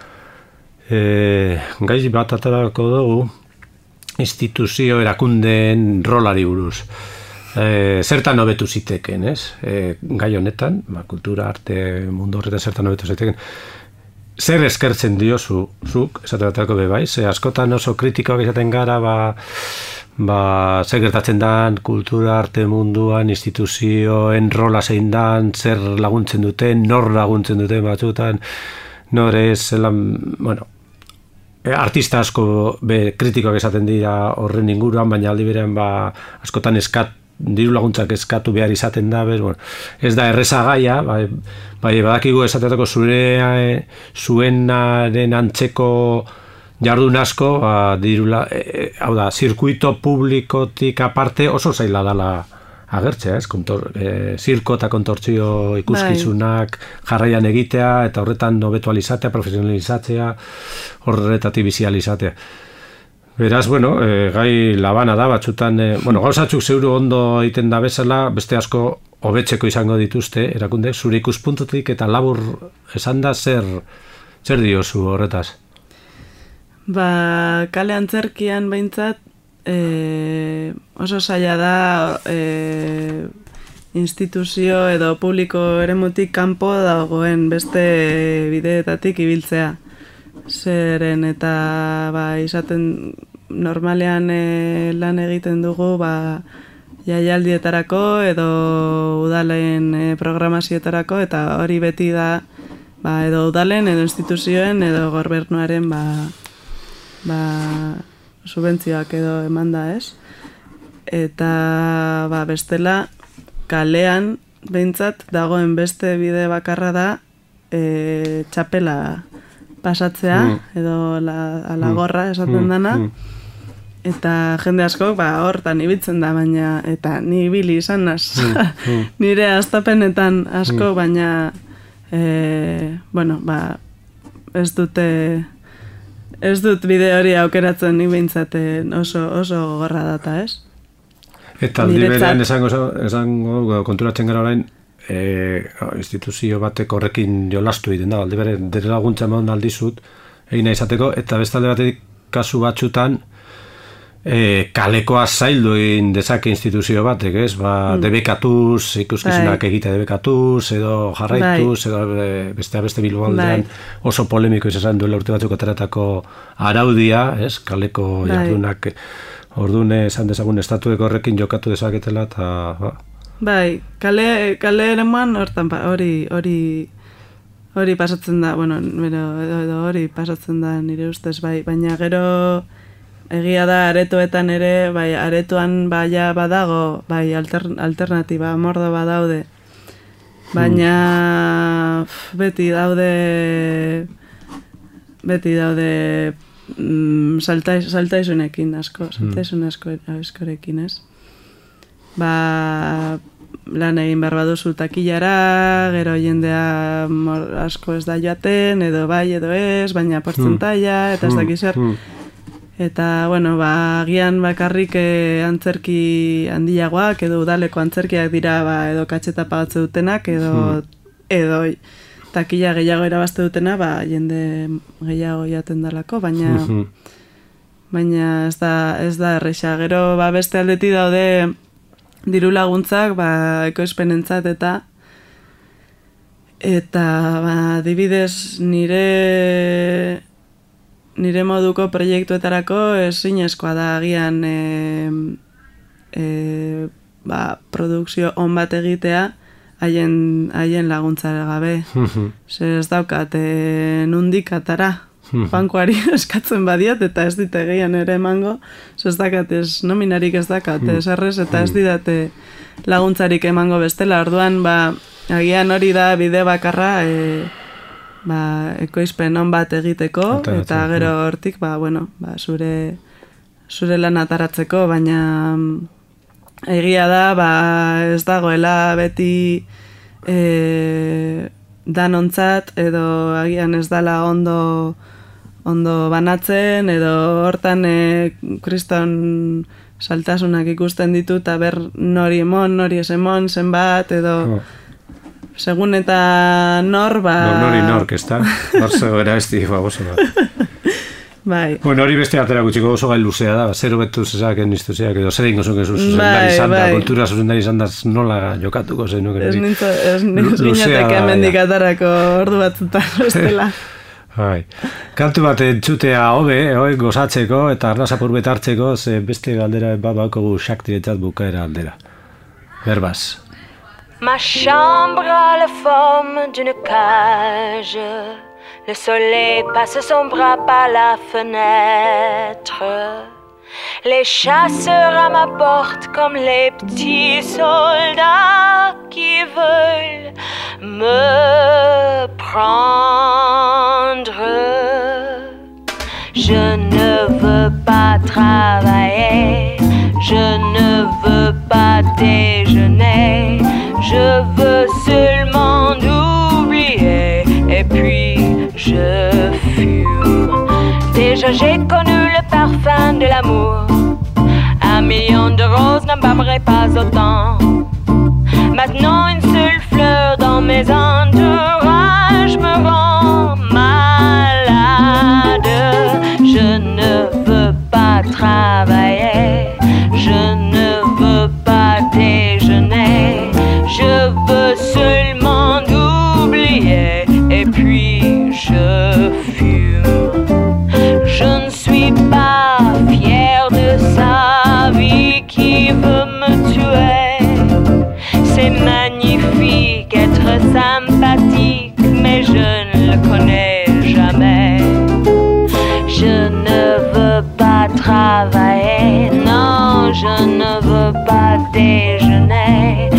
eh, gaiz bat atarako dugu instituzio erakundeen rolari buruz. Eh, zertan hobetu ziteken, ez? Eh, gai honetan, ba, kultura, arte, mundu horretan zertan hobetu ziteken. Zer eskertzen diozu, zuk, esate batako bebai, ze askotan oso kritikoak izaten gara, ba, ba, zer gertatzen dan, kultura, arte munduan, instituzioen rola zein dan, zer laguntzen duten, nor laguntzen duten batzutan, nor ez, zelan, bueno, artista asko be, kritikoak esaten dira horren inguruan, baina aldi berean ba, askotan eskat, diru laguntzak eskatu behar izaten da, bez, bueno, ez da erreza gaia, bai, bai badakigu esatetako zure, zuenaren antzeko jardun asko, ba, dirula, e, hau da, zirkuito publikotik aparte oso zaila dala agertzea, ez? Kontor, e, zirko eta kontortzio ikuskizunak jarraian egitea, eta horretan hobetu alizatea, profesionalizatzea, horretatik bizi alizatea. Beraz, bueno, e, gai labana da, batzutan, e, bueno, gauzatzuk zeuru ondo egiten da bezala, beste asko hobetzeko izango dituzte, erakunde, zure ikuspuntutik eta labur esan da, zer, zer diozu horretaz? Ba, kale antzerkian behintzat, e, oso zaila da e, instituzio edo publiko eremutik kanpo dagoen beste bideetatik ibiltzea. Zeren eta ba, izaten normalean e, lan egiten dugu ba, jaialdietarako edo udalen e, programazioetarako eta hori beti da ba, edo udalen edo instituzioen edo gobernuaren ba, ba, subentzioak edo emanda, ez? Eta ba, bestela kalean behintzat dagoen beste bide bakarra da e, txapela pasatzea, mm. edo la, la gorra esaten mm. dana, mm. eta jende askok ba, hortan ibiltzen da, baina, eta ni ibili izan naz, mm. nire astapenetan asko, mm. baina, e, bueno, ba, ez dute, ez dut bide hori aukeratzen ni behintzat oso, oso gorra data, ez? Eta aldi berean esango, esango konturatzen gara orain, E, instituzio batek horrekin jolastu egiten da, alde bere dere laguntza eman aldizut egin izateko, eta bestalde batetik kasu batzutan e, kalekoa zaildu egin dezake instituzio batek, ez? Ba, mm. debekatuz, ikuskizunak egitea debekatuz, edo jarraituz, edo beste beste Bilboaldean oso polemiko izan duela urte batzuk ateratako araudia, ez? Kaleko jardunak ordune esan dezagun estatueko horrekin jokatu dezaketela, eta ba, bai, kale, kale eremuan hortan hori hori hori pasatzen da, bueno, edo, edo hori pasatzen da nire ustez, bai, baina gero egia da aretoetan ere, bai, aretoan baia badago, bai, alter, alternatiba, mordo badaude, baina hmm. beti daude beti daude mm, saltais, saltaizunekin asko, saltaizun asko, askorekin, ez? Ba, lan egin behar baduzu takilara, gero jendea mor, asko ez da joaten, edo bai edo ez, baina portzentaia, eta ez dakiz zer. Eta, bueno, ba, agian bakarrik eh, antzerki handiagoak, edo udaleko antzerkiak dira, ba, edo katxeta pagatze dutenak, edo, edo takila gehiago erabazte dutena, ba, jende gehiago jaten dalako, baina, baina ez da, ez da erresa. Gero, ba, beste aldeti daude, diru laguntzak, ba, ekoizpenentzat eta eta ba, dibidez nire nire moduko proiektuetarako ezinezkoa da agian e, e, ba, produkzio on bat egitea haien haien laguntzara gabe. Zer ez daukat e, nundik atara. Bankoari eskatzen badiat eta ez dite gehian ere emango, ez dakat ez nominarik ez dakat, ez errez eta ez didate laguntzarik emango bestela, orduan ba, agian hori da bide bakarra e, ba, ekoizpen on bat egiteko eta gero hortik ba, bueno, ba, zure, zure lan ataratzeko, baina egia da ba, ez dagoela beti e, danontzat edo agian ez dala ondo ondo banatzen, edo hortan e, kriston saltasunak ikusten ditu, eta ber nori emon, nori ez emon, zenbat, edo oh. segun eta nor, ba... No, nori nork, ez da? Barzo era esti, bagozo bat. Bai. Bueno, hori beste atera gutxiko oso gai luzea da, zero betu zezaken instituziak, edo zer ingo zuen zuzendari izan da, kultura zuzendari izan da, nola jokatuko zen nuke. Ez nintzateke amendik atarako ordu batzutan, bestela. Bai. Kantu bat entzutea hobe, hobe gozatzeko eta arnazapur betartzeko, ze beste galdera bat baukogu Shaktiretzat bukaera aldera. Berbaz. Ma chambre a la forme d'une cage. Le soleil passe son bras par la fenêtre. Les chasseurs à ma porte comme les petits soldats qui veulent me prendre. Je ne veux pas travailler, je ne veux pas déjeuner, je veux seulement oublier et puis je fume. Déjà j'ai connu le parfum de la d'amour. Un million de roses n'embâmerait pas autant. Maintenant une seule fleur dans mes entourages me rend malade. Je ne veux pas travailler, je ne veux pas déjeuner, je veux seulement oublier et puis je fume. Je ne suis pas fière de sa vie qui veut me tuer. C'est magnifique être sympathique, mais je ne le connais jamais. Je ne veux pas travailler, non, je ne veux pas déjeuner.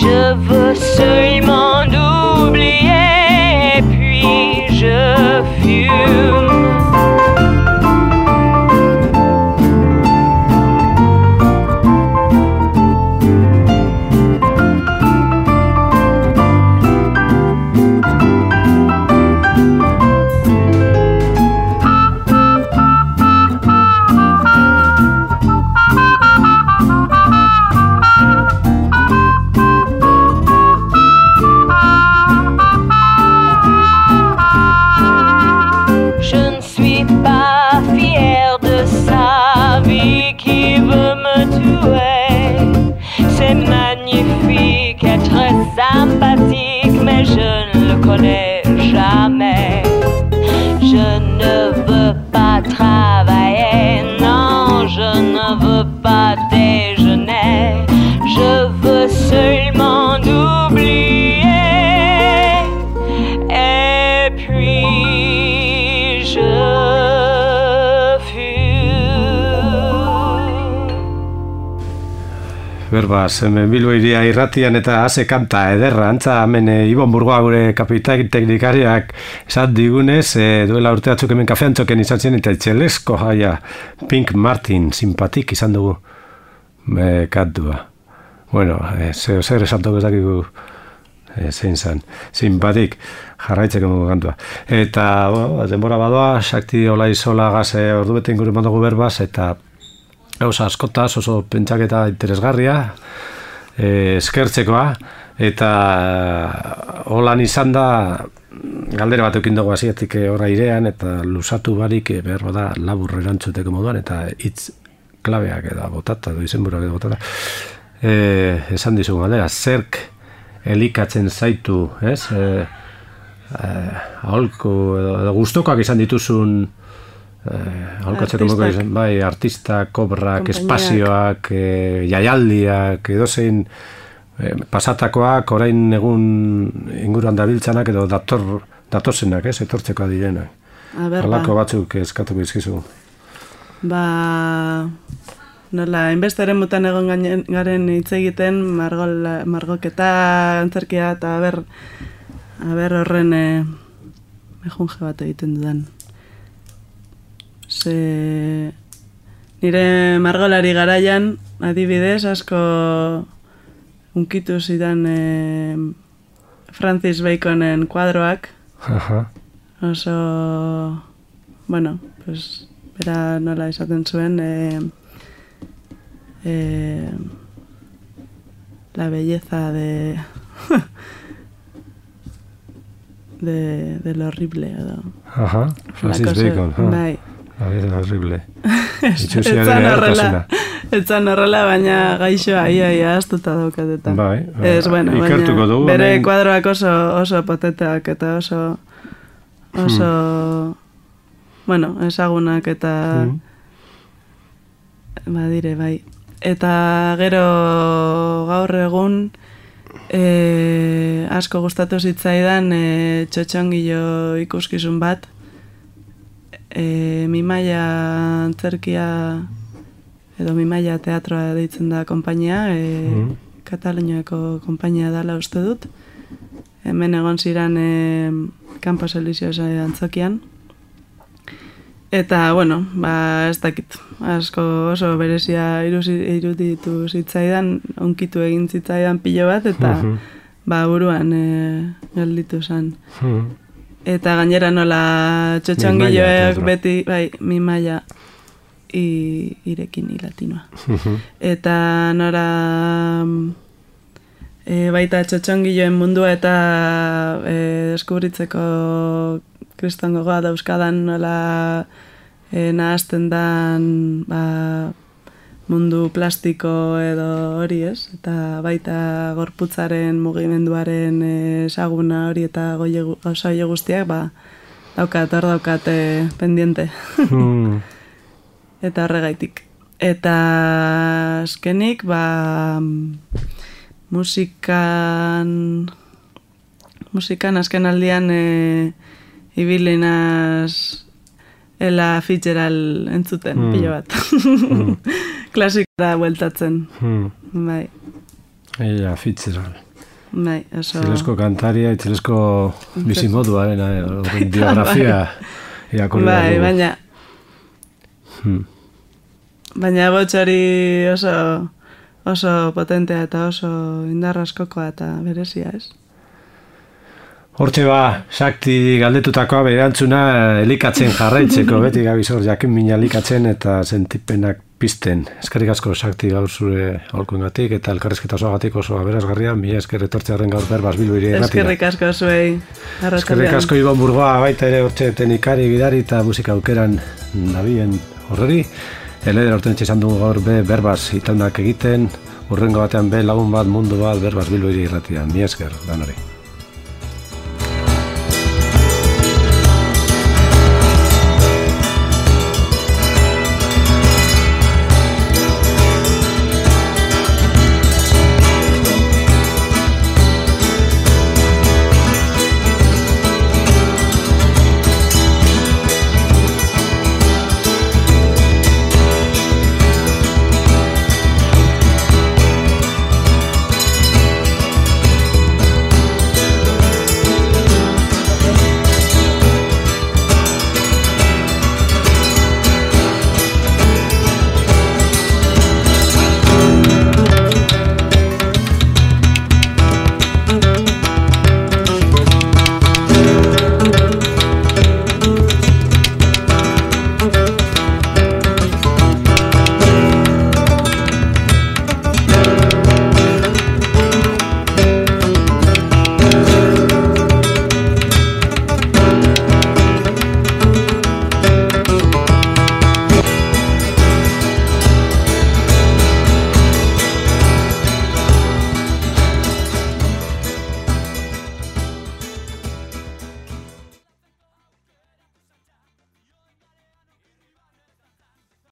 Je veux seulement oublier, et puis je fume. Sympathique, mais je ne le connais jamais. Je ne veux pas travailler, non, je ne veux pas déjeuner. Je veux seulement oublier, et puis je Berbaz, hemen Bilbo iria irratian eta haze kanta ederra, antza hemen e, Ibon Burgoa gure kapitain teknikariak esan digunez, e, duela urte batzuk hemen kafean txoken izan zen eta txelesko jaia Pink Martin, simpatik izan dugu e, kantua. Bueno, e, zer, zer esan dugu ez dakigu e, zein zan, simpatik jarraitzeko dugu kantua. Eta, bueno, denbora badoa, Sakti Olaizola gaze ordu bete inguru mandugu Berbaz, eta gauza askotaz oso pentsaketa interesgarria, e, eskertzekoa, eta holan izan da galdera bat eukin dugu hasiatik horra irean, eta lusatu barik e, behar bada labur erantzuteko moduan, eta hitz klabeak eta botata, edo izenburuak edo botata. E, esan dizugu galdera, zerk elikatzen zaitu, ez? E, e, aholku, edo, edo gustokoak izan dituzun Eh, aholkatzeko moduko izan, bai, artistak, kobrak, espazioak, eh, jaialdiak, edozein eh, pasatakoak, orain egun inguruan dabiltzanak edo dator, datozenak, ez, etortzeko direnak. Halako batzuk eskatuko izkizu. Ba, nola, inbestaren mutan egon garen hitz egiten, margol, margoketa, antzerkia, eta aber, aber horren eh, mejunje bat egiten dudan. Ze, nire margolari garaian, adibidez, asko unkitu zidan e, Francis Baconen kuadroak. Aha. Oso, bueno, pues, bera nola esaten zuen, e, e, la belleza de, de, de lo horrible. Edo. Aha, Francis Bacon. Ha. Bai. A ver, horrible. Etzan horrela, etzan horrela, baina gaixoa ia ia astuta daukateta. Bai, ez, bueno, ikertuko dugu. Bere men... kuadroak oso, oso potenteak eta oso, oso, hmm. bueno, ezagunak eta, hmm. badire, bai. Eta gero gaur egun, e, asko gustatu zitzaidan e, txotxongilo ikuskizun bat, E, Mimaia antzerkia edo Mimaia teatroa deitzen da konpainia, e, mm. Kataluniako konpainia dela uste dut. Hemen egon ziren e, Campos Elíseos antzokian. Eta, bueno, ba, ez dakit, asko oso berezia iruditu zitzaidan, onkitu egin zitzaidan pilo bat, eta mm-hmm. ba, buruan e, gelditu zen. Mm. Eta gainera nola txotxongiloek beti, bai, Mimaia, i, irekin i latinoa. Eta nora e, baita txotxongiloen mundua eta e, deskubritzeko kriston gogoa dauzkadan nola e, nahazten dan ba, mundu plastiko edo hori ez, eta baita gorputzaren mugimenduaren ezaguna hori eta gozaile guztiak, ba, daukat, hor daukat eh, pendiente. mm. Eta horregaitik. Eta azkenik, ba, musikan, musikan azken aldian e, ibilinaz Ella Fitzgerald entzuten, mm. pilo bat. mm. Klasikora bueltatzen. Mm. Bai. Ella Fitzgerald. Bai, oso... Txilesko kantaria, txilesko bizimoduaren eh, biografia irakurri. Bai, baina... Hmm. Baina botxori oso, oso potentea eta oso indarra askokoa eta berezia, ez? Hortxe ba, Sakti galdetutakoa berantzuna elikatzen jarraitzeko, beti gabizor jakin mina elikatzen eta sentipenak pizten. Eskerrik asko Sakti gaur zure aholkuengatik eta elkarrizketa osoagatik oso aberasgarria, mila esker etortzearen gaur Berbas Bilbo hiri irratira. Eskerrik asko zuei. Eskerrik asko Ibon Burgoa baita ere hortxe teknikari gidari eta musika aukeran nabien horreri. Eleder horten txezan dugu gaur be Berbas itaunak egiten, urrengo batean be lagun bat mundu bat Berbas Bilbo hiri irratira. Mila esker, danori.